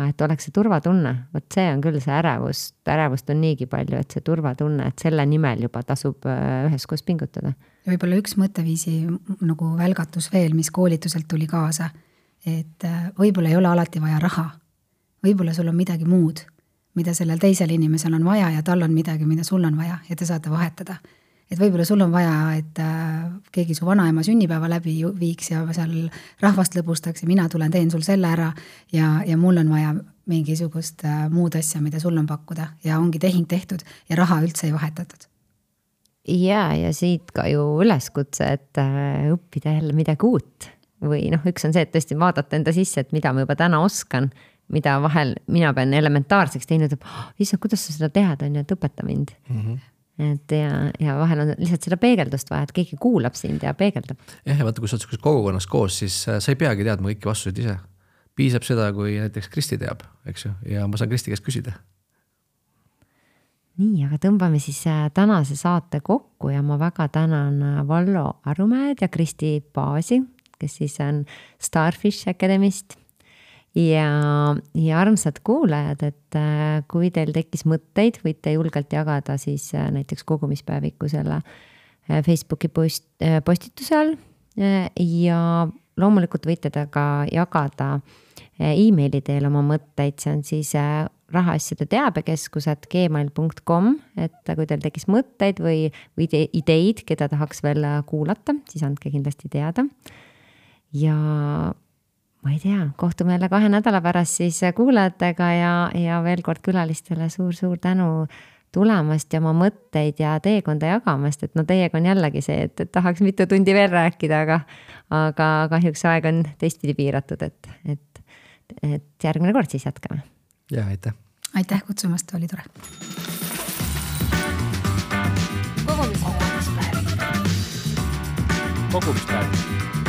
et oleks see turvatunne, võt see on küll see ärevust on niigi palju, et see turvatunne, et selle nimel juba tasub üheskoos pingutada. Ja võib-olla üks mõtteviisi nagu välgatus veel, mis koolituselt tuli kaasa, et võib-olla ei ole alati vaja raha, võib-olla sul on midagi muud, mida sellel teisel inimesel on vaja ja tal on midagi, mida sul on vaja ja te saate vahetada. Et võib-olla sul on vaja, et keegi su vanaema sünnipäeva läbi viiks ja seal rahvast lõbustaks ja mina tulen, teen sul selle ära ja mul on vaja mingisugust muud asja, mida sul on pakkuda ja ongi tehing tehtud ja raha üldse ei vahetatud. Ja siit ka ju üleskutse, et õppida jälle midagi uut või üks on see, et tõesti vaadata enda sisse, et mida ma juba täna oskan, mida vahel mina pean elementaarseks teinud, issand, kuidas sa seda tead, on ju, et õpeta mind. Et ja vahel on lihtsalt seda peegeldust vaja, et keegi kuulab sind ja peegeldab. Ja vaata, kui sa oled kogukonnas koos, siis sa ei peagi teadma kõiki vastuseid ise. Piisab seda, kui näiteks Kristi teab, eks ju, ja ma saan Kristi käest küsida. Nii, aga tõmbame siis tänase saate kokku ja ma väga tänan Vallo Arumäed ja Kristi Paasi, kes siis on Starfish Academist. Ja armsad kuulajad, et kui teil tekkis mõtteid, võite julgelt jagada siis näiteks kogumispäeviku selle Facebooki postituse all ja loomulikult võite ta ka jagada e-maili teel oma mõtteid, see on siis rahaasjade teabekeskus@gmail.com, et kui teil tekkis mõtteid või ideid, keda tahaks veel kuulata, siis andke kindlasti teada. Ja ma ei tea, kohtume jälle 2 nädala pärast siis kuulajatega ja veel kord külalistele suur tänu tulemast ja oma mõtteid ja teekonda jagamast, et no teiega on jällegi see, et tahaks mitu tundi veel rääkida, aga kahjuks aeg on teistpidi piiratud, et järgmine kord siis jätkame. Ja, aitäh. Aitäh kutsumast, oli tore. Kogumispäev.